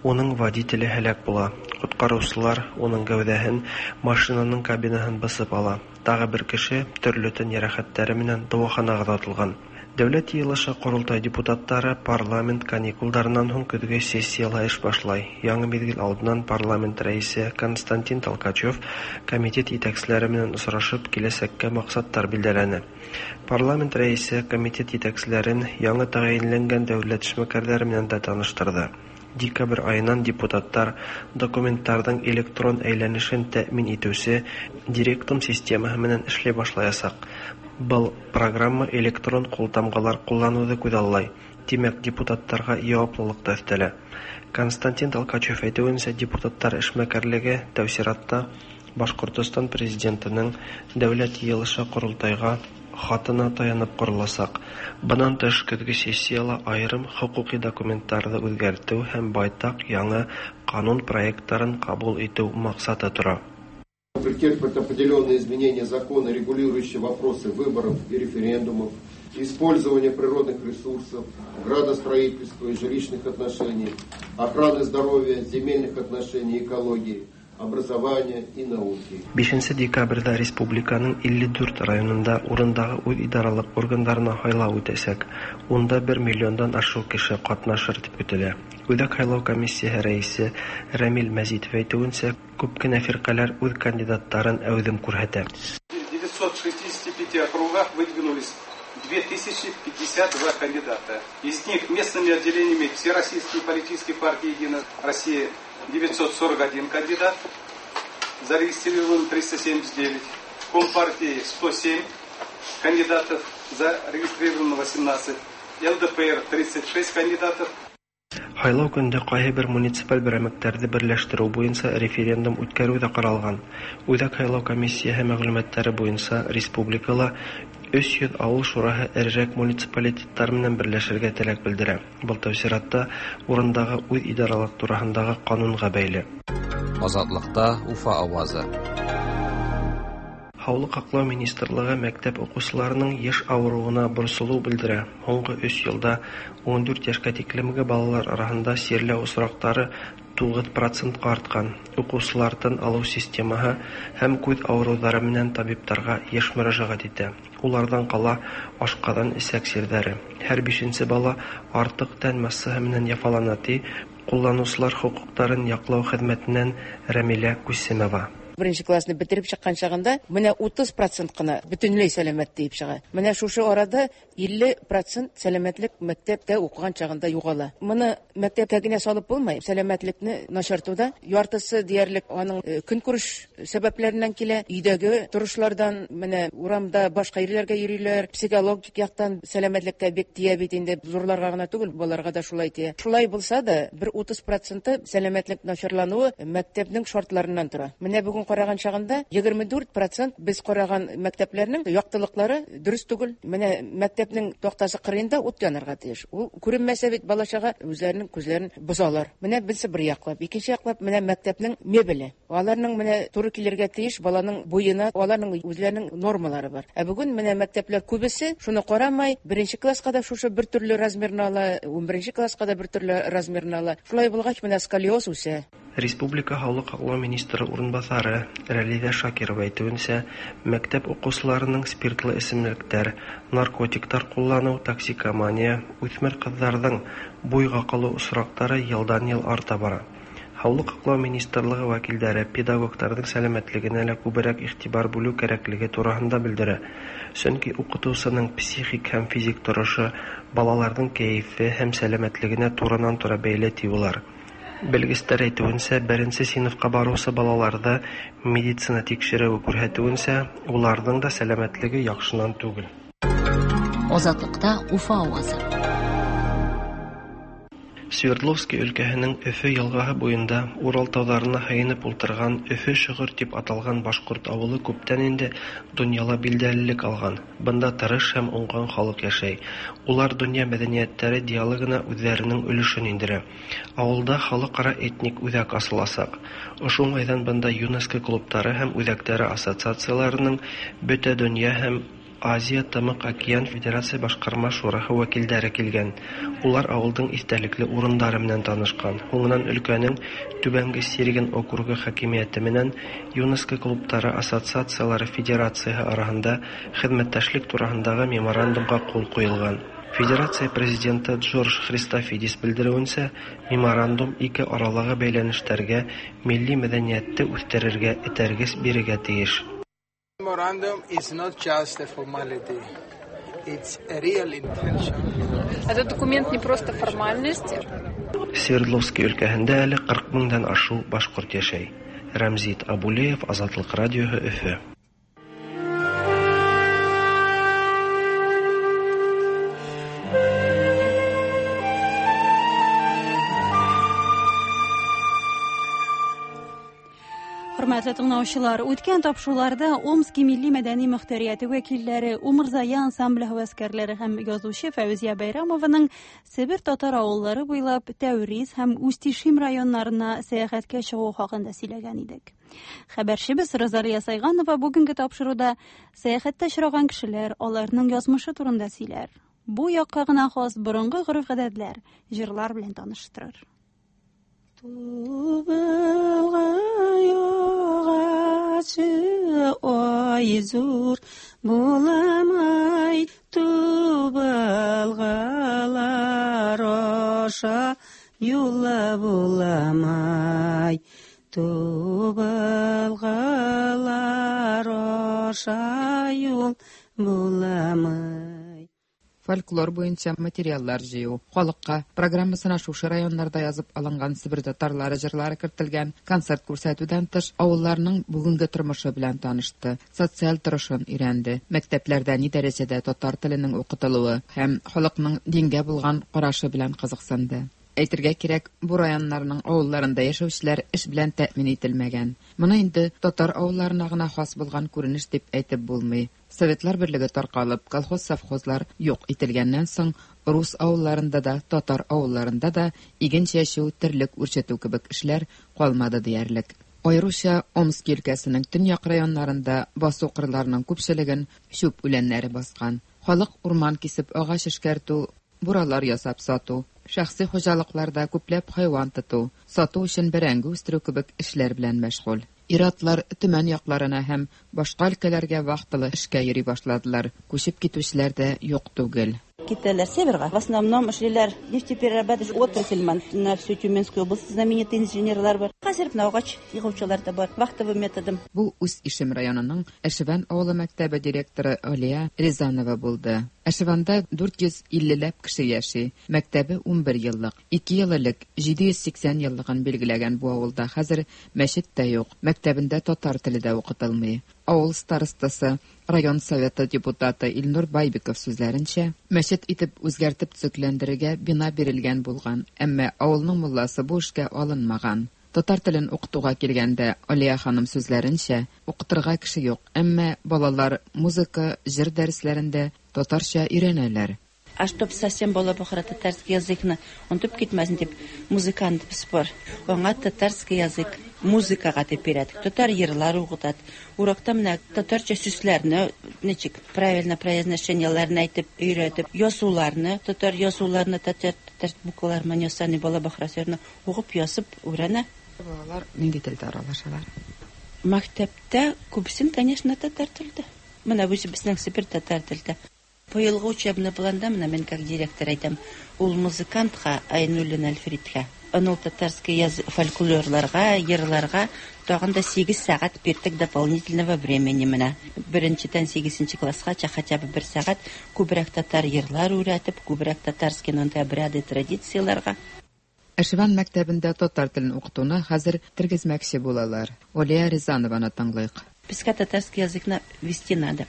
Уның водителе һәлак була. Коткаручылар уның гәүдәһен машинаның кабинаһын басып ала. Тагы бер кеше төрле тән ярәхәтләре менән дәваханага озатылган. Дәүләт йыйылышы Корылтай депутаттары парламент каникулдарынан һуң көзге сессияла эш башлай. Яңы мизгел алдыннан парламент рәисе Константин Толкачев комитет итәкчеләре менән очрашып киләчәккә максатлар билгеләне. Парламент рәисе комитет итәкчеләрен яңы тәгаенләнгән дәүләт эшмәкәрләре менән дә таныштырды. Декабрь айынан депутаттар документларның электрон әйләнешен тәэмин итүче Директум системаһы менән эшли башлаячак. Был программа электрон култамгалар куллануды күзаллай. Димәк, депутаттарга җаваплылык та өстәлә. Константин Толкачев әйтүенчә, депутаттар эшмәкәрлеге тәү чиратта Башкортостан президентының Дәүләт йыйылышы Корылтайга хатына таянып корылачак. Бынан тыш, көзге сессияла айрым хокуки документларны үзгәртү һәм байтак яңа канун проектларын кабул итү максаты тора. Претерпит определенные изменения закона, регулирующие вопросы выборов и референдумов, использования природных ресурсов, градостроительства и жилищных отношений, охраны здоровья, земельных отношений, экологии, образования и науки. бишенче декабрьдә республиканың илле дүрт районында урындагы үз идаралык органнарына һайлау үтәчәк. Унда бер миллиондан ашык кеше катнашыр дип көтелә. Үзәк һайлау комиссияһы рәисе Рамил Мәзитов әйтүенчә, күп кенә фиркаләр үз кандидатларын әүҙем күрһәтә. В девятисот шестидесяти пяти округах выдвинулись две тысячи пятьдесят два кандидата. Из них местными отделениями Всероссийской политической партии «Единая Россия» девятьсот сорок один кандидат, зарегистрирован триста семьдесят девять, Компартии сто семь кандидатов, зарегистрировано восемнадцать, ЛДПР тридцать шесть кандидатов. Һайлау көндә кайһы бер муниципаль берәмлекләрне берләштерү буенча референдум үткәрү дә каралган. Үзәк һайлау комиссияһы мәгълүматлары буенча республикала өч йөз авыл шураһы эрерәк муниципалитетлар менән берләшергә теләк белдерә. Был тәү чиратта урындагы үз идаралык тураһындагы канунга бәйле. Азатлыкта Уфа авазы. Һаулык һаклау министрлыгы мәктәп укучыларының еш авыруына борсылу белдерә. Һуңгы өч елда ун дүрт яшькә тиклемге балалар арасында чирләү очраклары тугыз процентка арткан. Укучылар тын алу системаһы һәм күз авырулары менән табибларга еш мөрәҗәгать итә. Улардан кала ашказан эчәк чирләре. Һәр бишенче бала артык тән массаһы менән яфалана, ди Кулланучылар хокукларын яклау хезмәтеннән Рәмилә Кусимова. Беренче классны бетереп чыккан чагында менә утыз процент кына бөтенләй сәламәт диеп чыга. Менә шушы арада илле процент сәламәтлек мәктәптә укыган чагында югала. Моны мәктәпкә генә салып булмый. Сәламәтлекне начартуда яртысы диярлек аның көнкүреш сәбәпләреннән килә. Өйдәге торышлардан, менә урамда башка ирләргә йөриләр, психологик яктан сәламәтлеккә бик тия бит инде, зурларга гына түгел, балаларга да шулай тия. Шулай булса да, бер утыз проценты сәламәтлек начарлануы мәктәпнең шартларыннан тора. Менә бүген караган чагында егерме дүрт процент без караган мәктәпләрнең яктылыклары дөрес түгел. Менә мәктәпнең тактасы кырыенда ут янарга тиеш. Ул күренмәсә бит бала-чага үзләренең күзләрен бозалар. Менә берсе бер яклап, икенче яклап менә мәктәпнең мебеле. Аларның менә туры килергә тиеш баланың буена, аларның үзләренең нормалары бар. Ә бүген менә мәктәпләр күбесе шуны карамай, беренче класска да шушы бер төрле размерны ала, унберенче класска да бер төрле размерны ала. Шулай булгач менә сколиоз үсә. Республика Һаулык һаклау министры урынбасары Рәлидә Шакирова әйтүенчә, мәктәп укучыларының спиртлы эчемлекләр, наркотиклар куллану, токсикомания, үсмер кызларның буйга калу очраклары елдан-ел арта бара. Һаулык һаклау министрлыгы вәкилләре педагогларның сәламәтлегенә лә күбрәк игътибар бүлү кирәклеге турында белдерә. Чөнки укытучының психик һәм физик торышы балаларның кәефе һәм сәламәтлегенә турыдан-туры бәйле ди улар. Белгечләр әйтүенчә, беренче сыйныфка баручы балаларда медицина тикшерүе күрсәтүенчә, уларның да сәламәтлеге яхшыннан түгел. Азатлыкта Уфа авазы. Свердловский өлкәһенең Өфө елгаһы буенда Урал тауларына һыйынып ултырган Өфө Шөгер дип аталган башкорт авылы күптән инде дөньяла билдәлелек алган. Бында тырыш һәм уңган халык яшәй. Улар дөнья мәдәниятләре диалогына үзләренең өлешен индерә. Авылда халыкара этник үзәк асыласак. Ошо уңайдан бында ЮНЕСКО клублары һәм үзәкләре ассоциацияләренең бөтә дөнья һәм Азия Тымык океан Федерация башкарма шурахы вәкилләре килгән. Улар авылдың истәлекле урындары менән танышкан. Һуңынан өлкәнең Түбәнге Сирген округы хакимияте менән ЮНЕСКО клублары ассоциациялары федерацияһы араһында хеҙмәттәшлек тураһындағы меморандумға ҡул ҡуйылған. Федерация президенты Джордж Христофидис белдереүенсә, меморандум ике аралағы бәйләнештәргә, милли мәҙәниәтте үҫтерергә этәргес бирергә тейеш. Memorandum is not just a formality. It's a real intention. Этот документ не просто формальность. Свердловский өлкәһендә әле ҡырҡ меңдән ашыу башҡорт йәшәй. Рәмзит Абулеев, Азатлык радиоһы, Өфө. Хөрмәтле тыңлаучылар, үткән тапшыруларда Омски милли мәдәни мөхтәрияте вәкилләре, Умырзая ансамбле һәвәскәрләре һәм язучы Фәүзия Бәйрәмованың Себер татар авыллары буйлап Тәүриз һәм Устишим районнарына сәяхәткә чыгу хакында сөйләгән идек. Хәбәрчебез Розалия Сайганова бүгенге тапшыруда сәяхәттә очраган кешеләр, аларның язмышы турында сөйләр. Бу якка гына хас борынгы гореф-гадәтләр, җырлар белән таныштырыр. Тубылға ай зур буламай, тубылғалар аша юлы буламай, тубылғалар аша юл буламай. Фольклор буенча материаллар җыю, халыкка программасына шушы районнарда язып алынган Себер татарлары җырлары кертелгән концерт күрсәтүдән тыш авылларның бүгенге тормышы белән танышты, социаль торышын өйрәнде, мәктәпләрдә ни дәрәҗәдә татар теленең укытылуы һәм халыкның дингә булган карашы белән кызыксынды. Әйтергә кирәк, бу районнарның авылларында яшәүчеләр эш белән тәэмин ителмәгән. Моны инде татар авылларына гына хас булган күренеш дип әйтеп булмый. Советлар берлеге таркалып, колхоз-совхозлар юк ителгәннән соң, рус авылларында да, татар авылларында да иген чәчү, терлек үрчетү кебек эшләр калмады диярлек. Аеруча Омски өлкәсенең төньяк районнарында басу кырларының күпчелеген чүп үләннәре баскан. Халык урман кисеп агач эшкәртү, буралар ясап сату, шәхси хуҗалыкларда күпләп хайван тоту, сату өчен бәрәңге үстерү кебек эшләр белән мәшгуль. Ир-атлар Төмән якларына һәм башка өлкәләргә вахталы эшкә йөри башладылар. Күчеп китүчеләр дә юк түгел. Китәләр северга. В основном эшлиләр нефтеперерабатывающий отрасль на всю Тюменскую область знаменитый инженерлар бар. Хәзер менә агач егучылар да бар. Вахтовый методом. Бу Усть-Ишем районының Әшевән авылы мәктәбе директоры Алия Рязанова булды. Әшевәндә дүрт йөз иллеләп кеше яши. Мәктәбе унбер еллык. Ике ел элек җиде йөз сиксән еллыгын билгеләгән бу авылда хәзер мәчет тә юк. Мәктәбендә татар теле дә укытылмый. Авыл старостасы, район советы депутаты Илнур Байбиков сүзләренчә, мәчет итеп үзгәртеп төзекләндерергә бина бирелгән булган, әмма авылның мулласы бу эшкә алынмаган. Татар телен укытуга килгәндә, Алия ханым сүзләренчә, укытырга кеше юк, әмма балалар музыка, җыр дәресләрендә татарча өйрәнәләр. А чтоб совсем было бахра татарский языкны, онытып китмәсен дип, музыкант без бар. Аңа татарский язык музыкага дип бирәдек. Татар йырлар укытат. Уракта менә татарча сүзләрне ничек правильно произношениеләрне әйтеп өйрәтеп, язуларны, татар язуларны, татар татар буквалар менән ясаны бала бахра сүзләрне укып язып өйрәнә. Балалар нинди телдә аралашалар? Мәктәптә күбесен, конечно, татар телдә. Менә үзе безнең Себер татар телдә. Быелгы учебный планда менә мин как директор әйтәм, ул музыкантка Айнуллин Альфредка, аны татарский язык фольклорларга, йырларга тагын да сигез сәгать бирдек дополнительного времени менә. Беренчедән сигезенче класска хотя бы бер сәгать күбрәк татар йырлар өйрәтеп, күбрәк татарский нонда обряды, традицияларга. Әшевән мәктәбендә татар телен укытуны хәзер тергезмәкче булалар. Алия Рязанованы тыңлыйк. Безгә татарский языкны вести надо.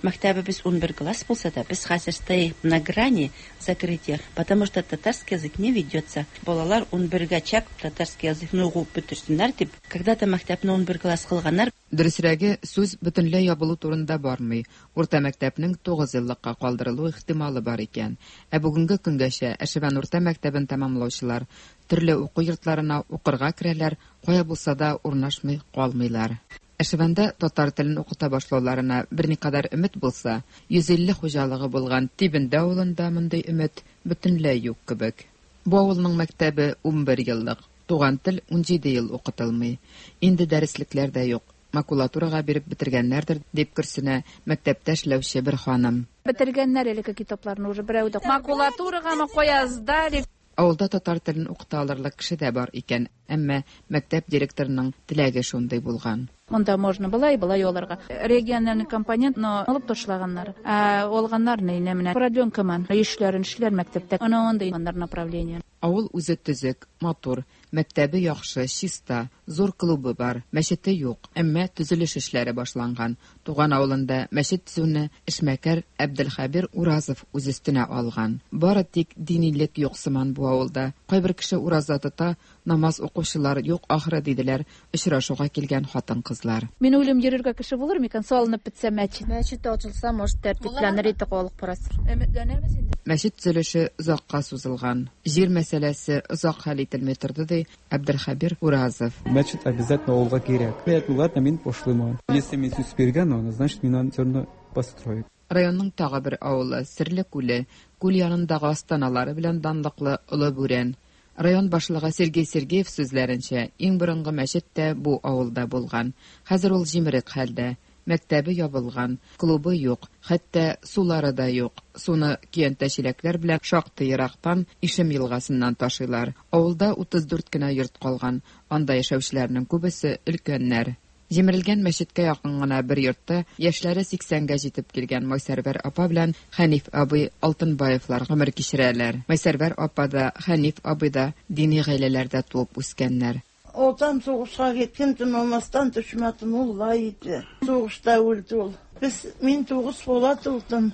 Мәктәбебез унбер класс булса да, без хәзер стоим на грани закрытия, потому что татарский язык не ведется. Балалар унбергә чак татарский языкны укып бетерсеннәр дип, когда-то мәктәпне унбер класс кылганнар. Дөресрәге, сүз бөтенләй ябылу турында бармый. Урта мәктәпнең тугыз еллыкка калдырылу ихтималы бар икән. Ә бүгенге көнгәчә Әшевән урта мәктәбен тәмамлаучылар төрле уку йортларына укырга керәләр, кая булса да урнашмый калмыйлар. Әшевәндә татар телен укыта башлауларына берникадәр өмет булса, йөз илле хуҗалыгы булган Тибендә авылында мондый өмет бөтенләй юк кебек. Бу авылның мәктәбе унбер еллык, туган тел унҗиде ел укытылмый. Инде дәреслекләр дә юк. Макулатурага биреп бетергәннәрдер, дип көрсенә мәктәптә эшләүче бер ханым. Бетергәннәр элекке китапларны уже берәү дә. Макулатурагамы кая сдали. Авылда татар телен укыта алырлык кеше дә бар икән, әмма мәктәп директорының теләге шундый булган. Монда можно была и была аларга. Региональный компонентны алып ташлаганнар. Ә алганнар ни менә продленка ман. Эшләрен эшләр мәктәптә. Ана андый направление. Авыл үзе төзек, матур, мәктәбе яхшы, чиста, зур клубы бар, мәчете юк, әмма төзелеш эшләре башланган. Туган авылында мәчет төзүне эшмәкәр Әбделхәбир Уразов үз өстенә алган. Бары тик динилек юк сыман бу авылда. Кайбер кеше ураза тота, намаз укучылар юк ахры диделәр очрашуга килгән хатын-кызлар. Мин уйлыйм, йөрергә кеше булыр микән, салынып бетсә мәчет. Мәчет ачылса, может, тәртипләнер иде халык бераз. Өметләнәбез инде. Мәчет төзелеше озакка сузылган. Җир мәсьәләсе озак хәл ителми торды, ди Әбделхәбир Уразов. Мәчет обязательно авылга кирәк. Ладно, мин пошлымын. Если мин сүз биргән, аны, значит, мин аны всё равно построю. Районның тагы бер авылы Серле күле, күл янындагы астаналары белән данлыклы Олы Бүрән. Район башлыгы Сергей Сергеев сүзләренчә, иң борынгы мәчет тә бу авылда булган. Хәзер ул җимерек хәлдә. Мәктәбе ябылган, клубы юк, хәтта сулары да юк. Суны көянтә чиләкләр белән шактый ерактан Ишем елгасыннан ташыйлар. Авылда утыз дүрт кенә йорт калган. Анда яшәүчеләрнең күбесе өлкәннәр. Җимерелгән мәчеткә якын гына бер йортта яшьләре сиксәнгә җитеп килгән Майсәрвәр апа белән Хәниф абый Алтынбаевлар гомер кичерәләр. Майсәрвәр апа да, Хәниф абый да дини гаиләләрдә туып үскәннәр. Отам соғышқа кеткен, түн алмастан төшмәті мулла еді. Соғышта өлді ол. Біз, мен тоғыз бола туылдым.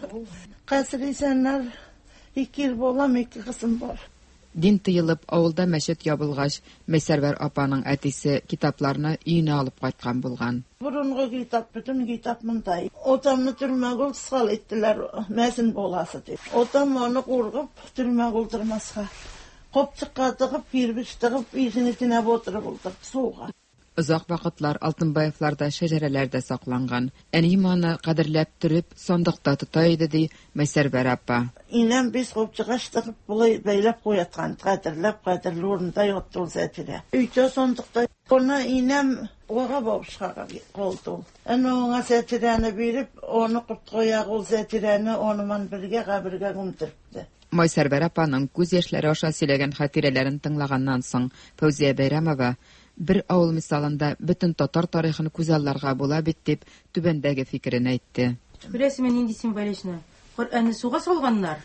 Қазір есенлер, екі ер болам, екі қызым бар. Дин тыйылып, авылда мәчет ябылгач, Мәйсәрвәр апаның әтисе китапларны өенә алып кайткан булган. Борынгы китап, бөтен китап монда. Отамны төрмәгә сал иттеләр, мәзин баласы дип. Отам аны куркып, төрмәгә утырмаска. Копчыкка тыгып, кирбич тыгып, ишен эченә батырып утырды суга. Озак вакытлар Алтынбаевларда шәҗәрәләр дә сакланган. Әнием аны кадерләп төреп, сандыкта тота иде, ди Мәйсәрвәр апа. Инәм без копчыга тыгып, болай бәйләп куяткан, кадерләп, кадерле урында ятты ул Зәфирә. Өйдә сандыкта. Аны инәм Оға бабушкага калды ул. Әнә аңа сәтирәне биреп, аны корткояк ул сәтирәне аныман бергә кабергә күмдерде. Майсәрвәр апаның күз яшьләре аша сөйләгән хатирәләрен тыңлаганнан соң, Фәүзия Бәйрәмова бер авыл мисалында бөтен татар тарихын күзалларга була бит дип түбәндәге фикерен әйтте. Беләсезме, нинди символично? Коръәнне суга салганнар,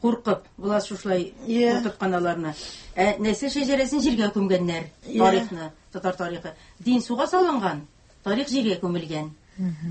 куркып, була шушылай куркыткан аларны. Ә нәсел шәҗәрәсен җиргә күмгәннәр, тарихны, татар тарихы. Дин суга салынган, тарих җиргә күмелгән.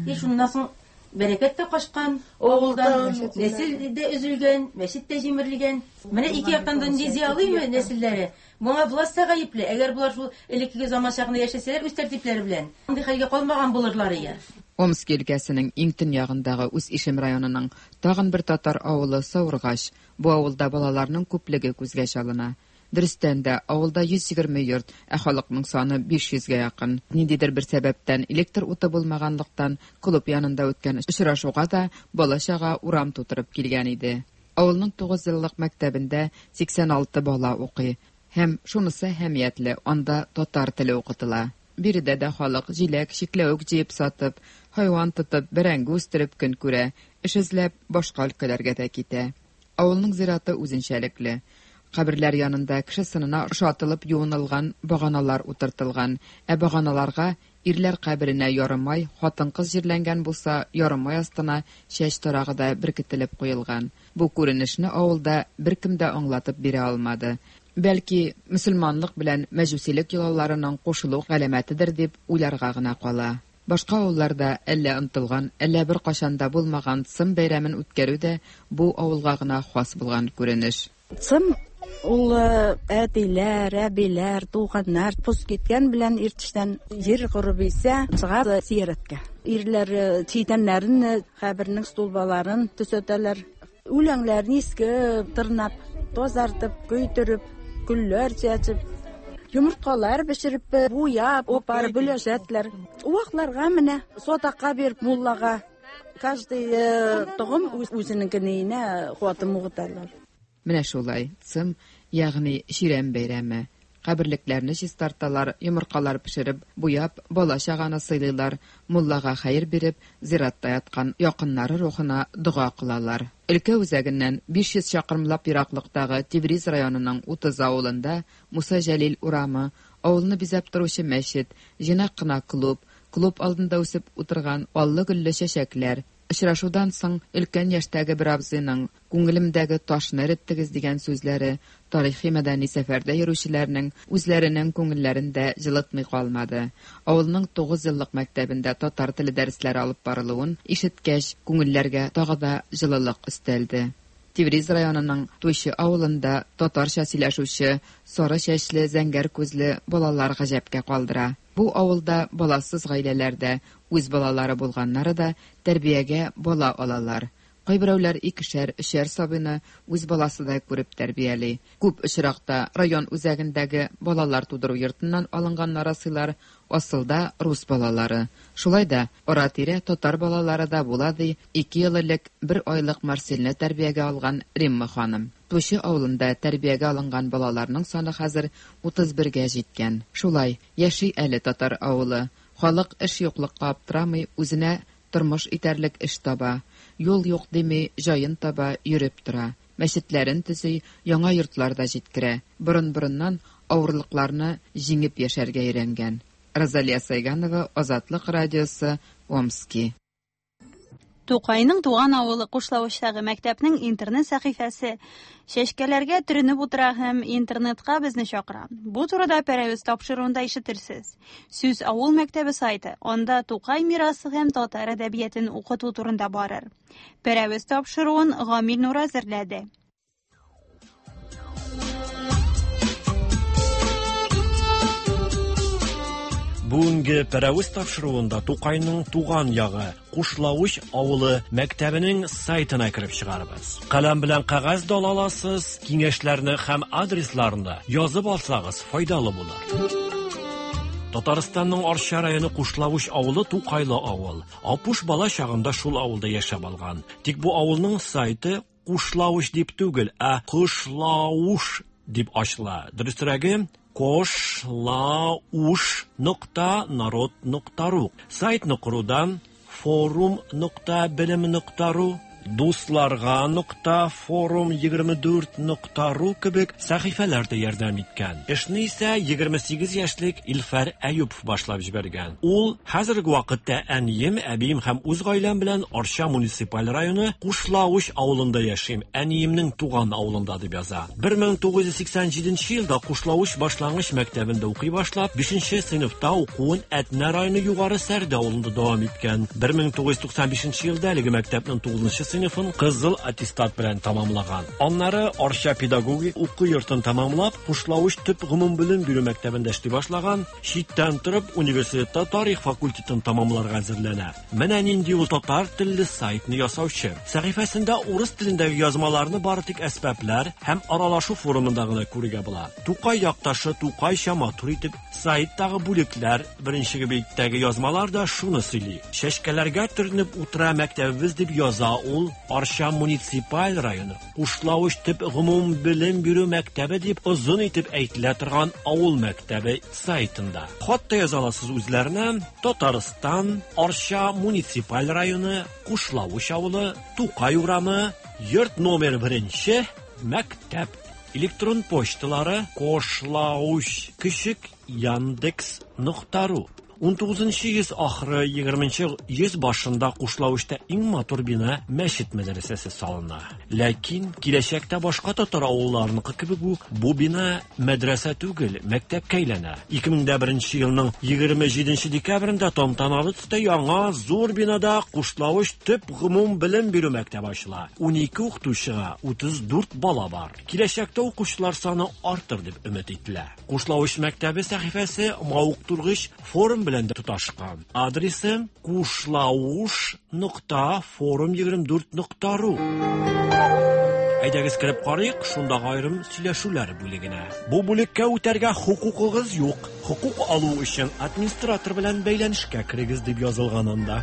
И шуннан соң бәрәкәт тә качкан, авылдан нәсел дә өзелгән, мәчет тә җимерелгән. Менә ике яктан да нинди зыялыймы нәселләре. Моңа власть та гаепле. Әгәр булар шул элеккеге заман чагында яшәсәләр, үз тәртипләре белән, мондый хәлгә калмаган булырлар ия. Омск өлкәсенең иң төньягындагы үз Ишем районының тагын бер татар авылы Саургач. Бу авылда балаларның күплеге күзгә чалына. Дөрестән дә, авылда йөз егерме йорт, ә халыкның саны биш йөзгә якын. Ниндидер бер сәбәптән электр уты булмаганлыктан клуб янында үткән очрашуга да бала-чага урам тутырып килгән иде. Авылның тугыз еллык мәктәбендә сиксән алты бала укый. Һәм шунысы әһәмиятле, анда татар теле укытыла. Биредә дә халык җиләк, чикләвек җыеп сатып, хайван тотып, бәрәңге үстереп көн күрә, эш эзләп башка өлкәләргә дә китә. Авылның зираты үзенчәлекле. Каберләр янында кеше сынына ошатылып юынылган баганалар утыртылган, ә баганаларга ирләр каберенә ярымай, хатын-кыз җирләнгән булса, ярымай астына чәч тарагы да беркетелеп куелган. Бу күренешне авылда беркем дә аңлатып бирә алмады. Бәлки, мөселманлык белән мәҗүсилек йолаларының кушылу галәмәтедер дип уйларга гына кала. Башка авылларда әллә онытылган, әллә бер кашан да булмаган Цым бәйрәмен үткәрү дә бу авылга гына хас булган күренеш. Цым ул әтиләр, әбиләр, туганнар пус киткән белән иртештән җир корып исә чыга зияраткә. Ирләр читәннәрен, кабернең стулбаларын төзәтәләр. Үләннәрне иске тырнап, тазартып, көйдереп, гөлләр чәчеп, йомырткалар пешереп, буяп, опар бүләшәтләр. Вакларга менә сатакка биреп муллага. Каждый тогым үзенекенә хатым угыталар. Менә шулай, Цым, ягъни Ширәм бәйрәме. Каберлекләрне чистарталар, йомыркалар пешереп, буяп, бала-чаганы сыйлыйлар, муллага хәер биреп, зиратта яткан якыннары рухына дога кылалар. Өлкә үзәгеннән биш йөз чакрымлап ераклыктагы Тевриз районының утыз авылында Муса Җәлил урамы, авылны бизәп торучы мәчет, җыйнак кына клуб, клуб алдында үсеп утырган аллы-гөлле чәчәкләр. Очрашудан соң өлкән яшьтәге бер абзыйның күңелемдәге ташны эреттегез дигән сүзләре тарихи мәдәни сәфәрдә йөрүчеләрнең үзләренең күңелләрен дә җылытмый калмады. Авылның тугыз еллык мәктәбендә татар теле дәресләре алып барылуын ишеткәч, күңелләргә тагы да җылылык өстәлде. Тевриз районының Туйчы авылында татарча сөйләшүче сары чәчле, зәңгәр күзле балалар гаҗәпкә калдыра. Бу авылда баласыз гаиләләрдә үз балалары булганнары да тәрбиягә бала алалар. Кайберәүләр икешәр, өчәр сабыйны үз баласыдай күреп тәрбияли. Күп очракта район үзәгендәге балалар тудыру йортыннан алынган нарасыйлар асылда рус балалары. Шулай да ара-тирә татар балалары да була ди ике ел элек бер айлык Марсельне тәрбиягә алган Римма ханым. Туйчы авылында тәрбиягә алынган балаларның саны хәзер утыз бергә җиткән. Шулай яши әле татар авылы. Халык эш юклыкка аптырамый, үзенә тормыш итәрлек эш таба. Юл юк дими, җаен таба, йөреп тора. Мәчетләрен төзи, яңа йортлар да җиткерә. Борын-борыннан авырлыкларны җиңеп яшәргә өйрәнгән. Розалия Сайганова, Азатлык радиосы, Омски. Тукайның туган авылы Кушлавычтагы мәктәпнең интернет сәхифәсе чәчкәләргә төренеп утыра һәм интернетка безне чакыра. Бу турыда Пәрәвез тапшыруында ишетерсез. Сүз авыл мәктәбе сайты, анда Тукай мирасы һәм татар әдәбиятын укыту турында барыр. Пәрәвез тапшыруын Гамил Нур әзерләде. Бүгенге Пәрәвез тапшыруында Тукайның туган ягы Кушлавыч авылы мәктәбенең сайтына кереп чыгарбыз. Каләм белән кәгазь дә ала аласыз, киңәшләрне һәм адресларны язып алсагыз файдалы булыр. Татарстанның Арча районы Кушлавыч авылы Тукайлы авыл. Апуш бала чагында шул авылда яшәп алган. Тик бу авылның сайты Кушлавыч дип түгел, ә Кышлауш дип ачыла. Дөресрәге, Кошлауш нокта народ нокта ру. Сайтны корудан форум нокта белем нокта ру, дусларга нокта форум егерме дүрт нокта ру кебек сәхифәләр дә ярдәм иткән. Эшне исә егерме сигез яшьлек Илфәр Әюпов башлап җибәргән. Ул хәзерге вакытта әнием, әбием һәм үз гаиләм белән Арча муниципаль районы Кушлавыч авылында яшим. Әниемнең туган авылында дип яза. бер мең тугыз йөз сиксән җиденче елда Кушлавыч башлангыч мәктәбендә укый башлап, бишенче сыйныфта укуын Әтнә районы Югары Сәрдә авылында дәвам иткән. бер мең тугыз йөз туксан бишенче елда әлеге мәктәпнең тугызынчы сыйныфын кызыл аттестат белән тамамлаган. Аннары Арча педагогик уку йортын тамамлап, Кушлавыч төп гомумбелем бирү мәктәбендә эшли башлаган, читтән торып университетта тарих факультетын тамамларга әзерләнә. Менә нинди ул татар телле сайтны ясаучы. Сәхифәсендә урыс телендәге язмаларны бары тик әсбаплар һәм аралашу форумында гына күрергә була. Тукай якташы Тукайча матур итеп сайттагы бүлекләр, беренче биттәге язмалар да шуны сөйли. Чәчкәләргә төренеп утыра мәктәбебез дип яза ул Арча муниципаль районы Кушлавыч төп гомум белем бирү мәктәбе дип озын итеп әйтелә торган авыл мәктәбе сайтында. Хат та яза аласыз үзләренә. Татарстан, Арча муниципаль районы, Кушлавыч авылы, Тукай урамы, йорт номер беренче, мәктәп. Электрон почталары кошлауч кечек яндекс нокта ру. Ун тугызынчы йөз ахыры, егерменче йөз башында Кушлавычта иң матур бина мәчет мәдрәсәсе салына. Ләкин киләчәктә башка татар авылларыныкы кебек үк бу бина мәдрәсә түгел, мәктәпкә әйләнә. Ике мең дә беренче елның егерме җиденче декабрендә тантаналы төстә яңа зур бинада Кушлавыч төп гомум белем бирү мәктәбе ачыла. Унике укытучыга утыз дүрт бала бар. Киләчәктә укучылар саны артыр дип өмет ителә. Кушлавыч мәктәбе сәхифәсе мавыктыргыч форум белән дә тоташкан. Адресы кушлауш нокта форум егерме дүрт нокта ру. Әйдәгез кереп карыйк, шундагы аерым сөйләшүләр бүлегенә. Бу бүлеккә үтәргә хокукыгыз юк. Хокук алу өчен администратор белән бәйләнешкә керегез дип язылган анда.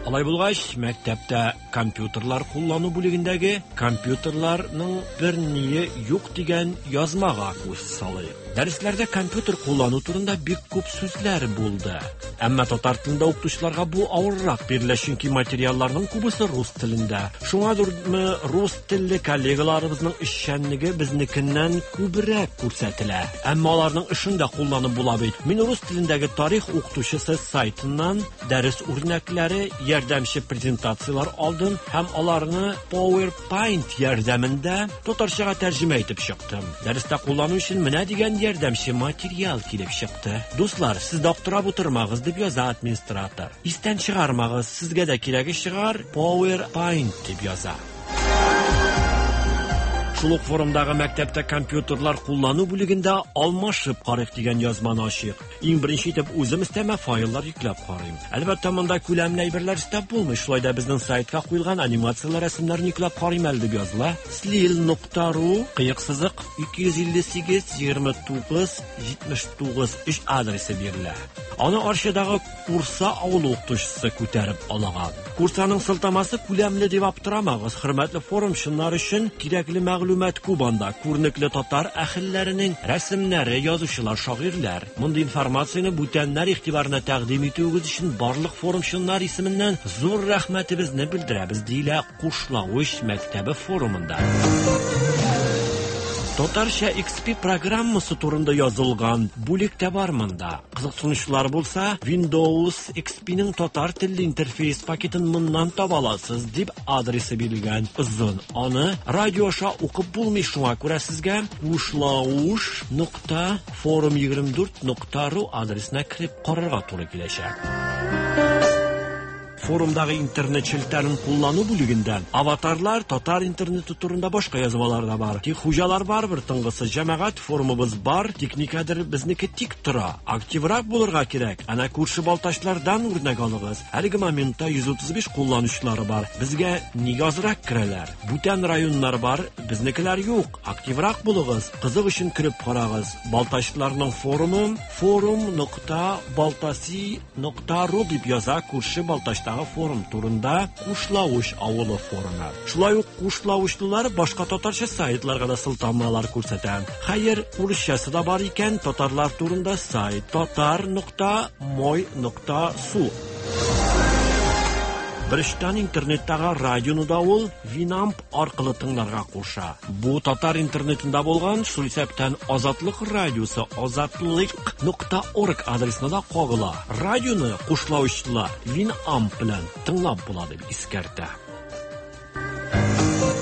Алай булгач, мәктәптә компьютерлар куллану бүлегендәге компьютерларның бер ние юк дигән язмага күз салыйк. Дәресләрдә компьютер куллану турында бик күп сүзләр булды. Әмма татар телендә укытучыларга бу авыррак бирелә, чөнки материалларның күбесе рус телендә. Шуңадырмы рус телле коллегаларыбызның эшчәнлеге безнекеннән күбрәк күрсәтелә. Әмма аларның эшен дә кулланып була бит. Мин рус телендәге тарих укытучысы сайтыннан дәрес үрнәкләре, ярдәмче презентациялар алдым һәм аларны PowerPoint ярдәмендә татарчага тәрҗемә итеп чыктым. Дәрестә куллану өчен менә дигән ярдәмче материал килеп чыкты. Дуслар, сез дә аптырап утырмагыз дип яза администратор. Истән чыгармагыз, сезгә дә кирәге чыгар, PowerPoint дип яза. Шул ук форумдагы мәктәптә компьютерлар куллану бүлегендә алмашып карыйк дигән язманы ачыйк. Иң беренче итеп үзем өстәмә файллар йөкләп карыйм. Әлбәттә, монда күләмле әйберләр өстәп булмый. Шулай да безнең сайтка куелган анимацияләр, рәсемнәрне йөкләп карыйм әле дип языла. слил нокта ру кыек сызык ике йөз илле сигез егерме тугыз җитмеш тугыз өч адресы бирелә. Аны Арчадагы Курса авылы укытучысы күтәреп алган. Курсаның сылтамасы күләмле дип аптырамагыз. Хөрмәтле форумчылар өчен кирәкле мәгълүмат күп анда. Күренекле татар әһелләренең рәсемнәре, язучылар, шагыйрьләр. Мондый информацияне бүтәннәр игътибарына тәкъдим итүегез өчен барлык форумчылар исеменнән зур рәхмәтебезне белдерәбез, диелә Кушлавыч мәктәбе форумында. Татарча X P программасы турында язылган бүлек тә бар монда. Кызыксынучылар булса, Windows X P-ның татар телле интерфейс пакетын моннан таба аласыз дип адресы бирелгән. Озын. Аны радио аша укып булмый, шуңа күрә сезгә кушлауш нокта форум егерме дүрт нокта ру адресына кереп карарга туры киләчәк. Форумдагы интернет челтәрен куллану бүлегендә аватарлар, татар интернеты турында башка язмалар да бар. Тик хуҗалар барыбер тынгысыз. Җәмәгать форумыбыз бар, тик никадәр безнеке тик тора. Активрак булырга кирәк. Әнә күрше балтачлардан үрнәк алыгыз. Әлеге моментта йөз утыз биш кулланучылары бар. Безгә нигә азрак керәләр? Бүтән районнар бар, безнекеләр юк. Активрак булыгыз. Кызык өчен кереп карагыз. Балтачларның форумы форум нокта балтаси нокта ру дип яза күрше балтачтагы Кушлавычтагы форум турында Кушлавыч авылы форумы. Шулай ук кушлавычлылар башка татарча сайтларга да сылтамалар күрсәтә. Хәер, урысчасы да бар икән, татарлар турында сайт татар нокта мой нокта су. Беренчедән, интернеттагы радионы да ул Winamp аркылы тыңларга куша. Бу татар интернетында булган, шул исәптән Азатлык радиосы азатлык нокта орг адресына да кагыла. Радионы кушлавычлылар Winamp белән тыңлап була дип искәртә.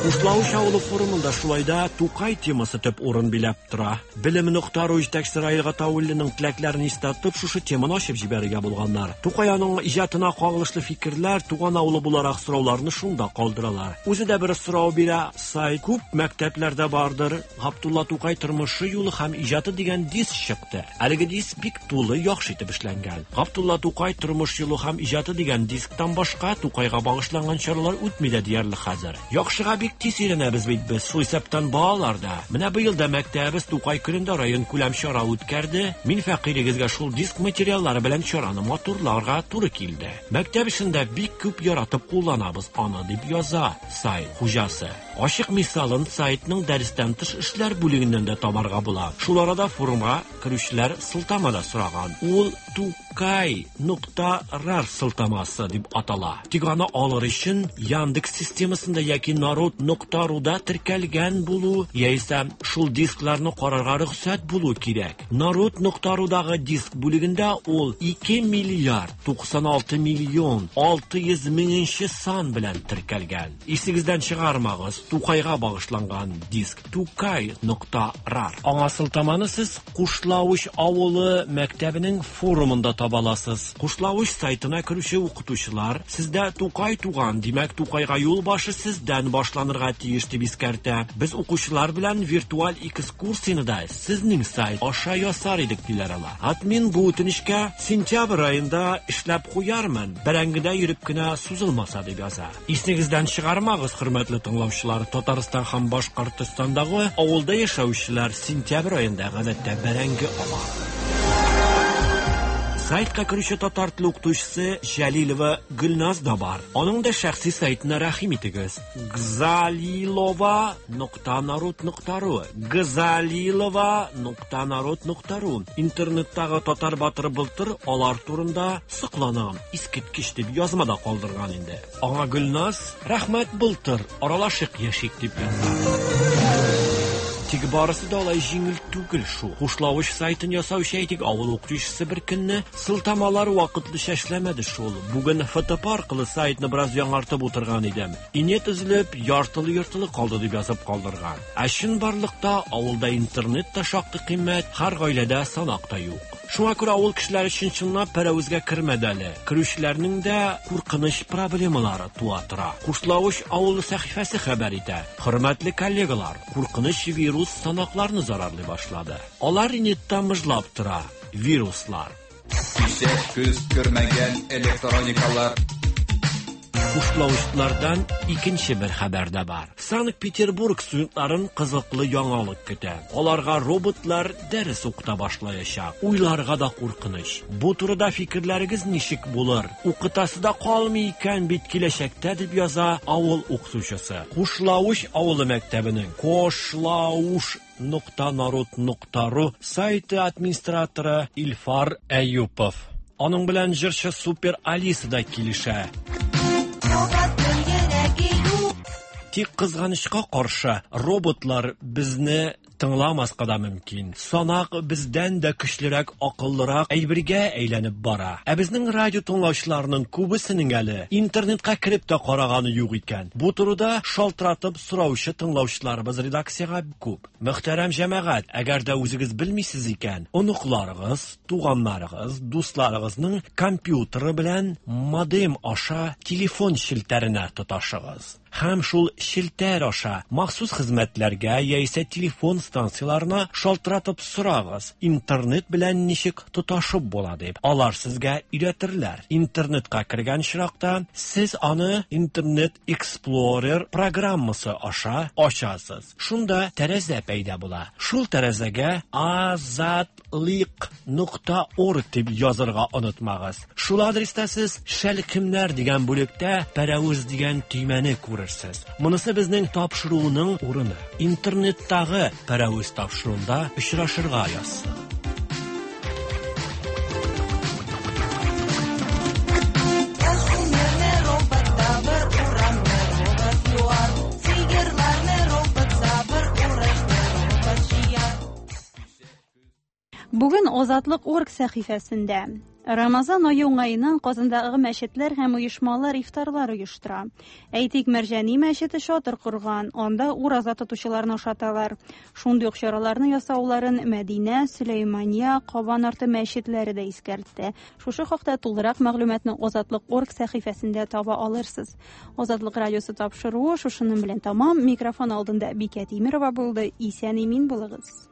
Кушлавыч авылы форумында шулай да Тукай темасы төп урын биләп тора. Белем нокта ру җитәкчесе Раил Гатауллинның теләкләрен истә тотып, шушы теманы ачып җибәрергә булганнар. Тукай аның иҗатына кагылышлы фикерләр, туган авылы буларак сорауларны шунда калдыралар. Үзе дә бер сорау бирә, сайт күп мәктәпләрдә бардыр. Габдулла Тукай тормышы юлы һәм иҗаты дигән диск чыкты. Әлеге диск бик тулы, яхшы итеп эшләнгән. Габдулла Тукай тормыш юлы һәм иҗаты дигән дисктан башка Тукайга багышланган чаралар үтми дә диярлек хәзер. Яхшыга бик тиз өйрәнәбез бит без, шул исәптән балалар да. Менә быел да мәктәбебез Тукай көнендә район күләм чара үткәрде. Мин фәкыйрегезгә шул диск материаллары белән чараны матурларга туры килде. Мәктәп эшендә бик күп яратып кулланабыз аны, дип яза сайт хуҗасы. Ачык мисалын сайтның дәрестән тыш эшләр бүлегеннән дә табарга була. Шул арада форумга керүчеләр сылтама да сораган. Ул Тукай нокта рар сылтамасы дип атала. Тик аны алыр өчен Яндекс системасында яки Народ нокта руда теркәлгән булу, яисә шул дискларны карарга рөхсәт булу кирәк. Народ нокта рудагы диск бүлегендә ул ике миллиард туксан алты миллион алты йөз меңенче сан белән теркәлгән. Исегездән чыгармагыз, Тукайга багышланган диск Тукай нокта рар. Аңа сылтаманы сез Кушлавыч авылы мәктәбенең форумында таба аласыз. Кушлавыч сайтына керүче укытучылар, сездә Тукай туган, димәк Тукайга юл башы сездән башланырга тиеш дип искәртә. Без укучылар белән виртуаль экскурсияне дә сезнең сайт аша ясар идек, диләр алар. Админ бу үтенечкә сентябрь аенда эшләп куярмын, бәрәңгедә йөреп кенә сузылмаса дип яза. Исегездән чыгармагыз, хөрмәтле тыңлаучылар, Татарстан һәм Башкортстандагы авылда яшәүчеләр сентябрь аенда гадәттә бәрәңге ала. Сайтка керүче татар теле укытучысы Җәлилова Гөлназ да бар. Аның да шәхси сайтына рәхим итегез. Гзалилова нокта народ нокта ру. Гзалилова нокта народ нокта ру. Интернеттагы татар батыры былтыр алар турында сокланам, искиткеч дип язма да калдырган инде. Аңа Гөлназ рәхмәт былтыр, аралашык яшик дип яза. Тик барысы да алай җиңел түгел шул. Кушлавыч сайтын ясаучы әйтик авыл укытучысы бер көнне сылтамалар вакытлыча эшләмәде шул. Бүген Ф Т П аркылы сайтны бераз яңартып утырган идем. Инет өзелеп, яртылы-йортылы калды дип язып калдырган. Ә чынбарлыкта авылда интернет та шактый кыйммәт, һәр гаиләдә санак та юк. Шуңа күрә авыл кешеләре өчен чынлап пәрәвезгә кермәде әле. Керүчеләрнең дә куркыныч проблемалары туа тора. Кушлавыч авылы сәхифәсе хәбәр итә. Хөрмәтле коллегалар, куркыныч вирус санакларны зарарлый башлады. Алар инетта мыжлап тора. Вируслар. Кичә күз күрмәгән электроникалар. Кушлавычлардан икенче бер хәбәр дә бар. Санкт-Петербург студентларын кызыклы яңалык көтә. Аларга роботлар дәрес укыта башлаячак. Уйларга да куркыныч. Бу турыда фикерләрегез ничек булыр? Укытасы да калмый икән бит киләчәктә, дип яза авыл укытучысы. Кушлавыч авылы мәктәбенең Кошлауш нокта народ нокта ру сайты администраторы Илфар Әюпов. Аның белән җырчы Супер Алиса да килешә. Тик кызганычка каршы, роботлар безне тыңламаска да мөмкин. Санак бездән дә көчлерәк, акыллырак әйбергә әйләнеп бара. Ә безнең радио тыңлаучыларының күбесенең әле интернетка кереп тә караганы юк икән. Бу турыда шалтыратып сораучы тыңлаучыларыбыз редакциягә күп. Мөхтәрәм җәмәгать, әгәр дә үзегез белмисез икән, оныкларыгыз, туганнарыгыз, дусларыгызның компьютеры белән модем аша телефон челтәренә тоташыгыз. Һәм шул челтәр аша махсус хезмәтләргә яисә телефон станцияларына шалтыратып сорагыз, интернет белән ничек тоташып була дип. Алар сезгә өйрәтерләр. Интернетка кергән очракта сез аны Internet Explorer программасы аша ачасыз. Шунда тәрәзә пәйда була. Шул тәрәзәгә азатлык нокта орг дип язырга онытмагыз. Шул адреста сез Шәлкемнәр дигән бүлектә Пәрәвез дигән төймәне күрерсез. Монысы безнең тапшыруның урыны. Интернеттагы Пәрәвез тапшыруында очрашырга язсын. Бүген Азатлык орг сәхифәсендә Рамазан ае уңаеннан Казандагы мәчетләр һәм оешмалар ифтарлар оештыра. Әйтик, Мәрҗани мәчете чатыр корган, анда ураза тотучыларны ашаталар. Шундый ук чараларны ясауларын Мәдинә, Сөләймания, Кабан арты мәчетләре дә искәртте. Шушы хакта тулырак мәгълүматны Азатлык орг сәхифәсендә таба алырсыз. Азатлык радиосы тапшыруы шушының белән тамам. Микрофон алдында Бикә Тимирова булды. Исән-имин булыгыз.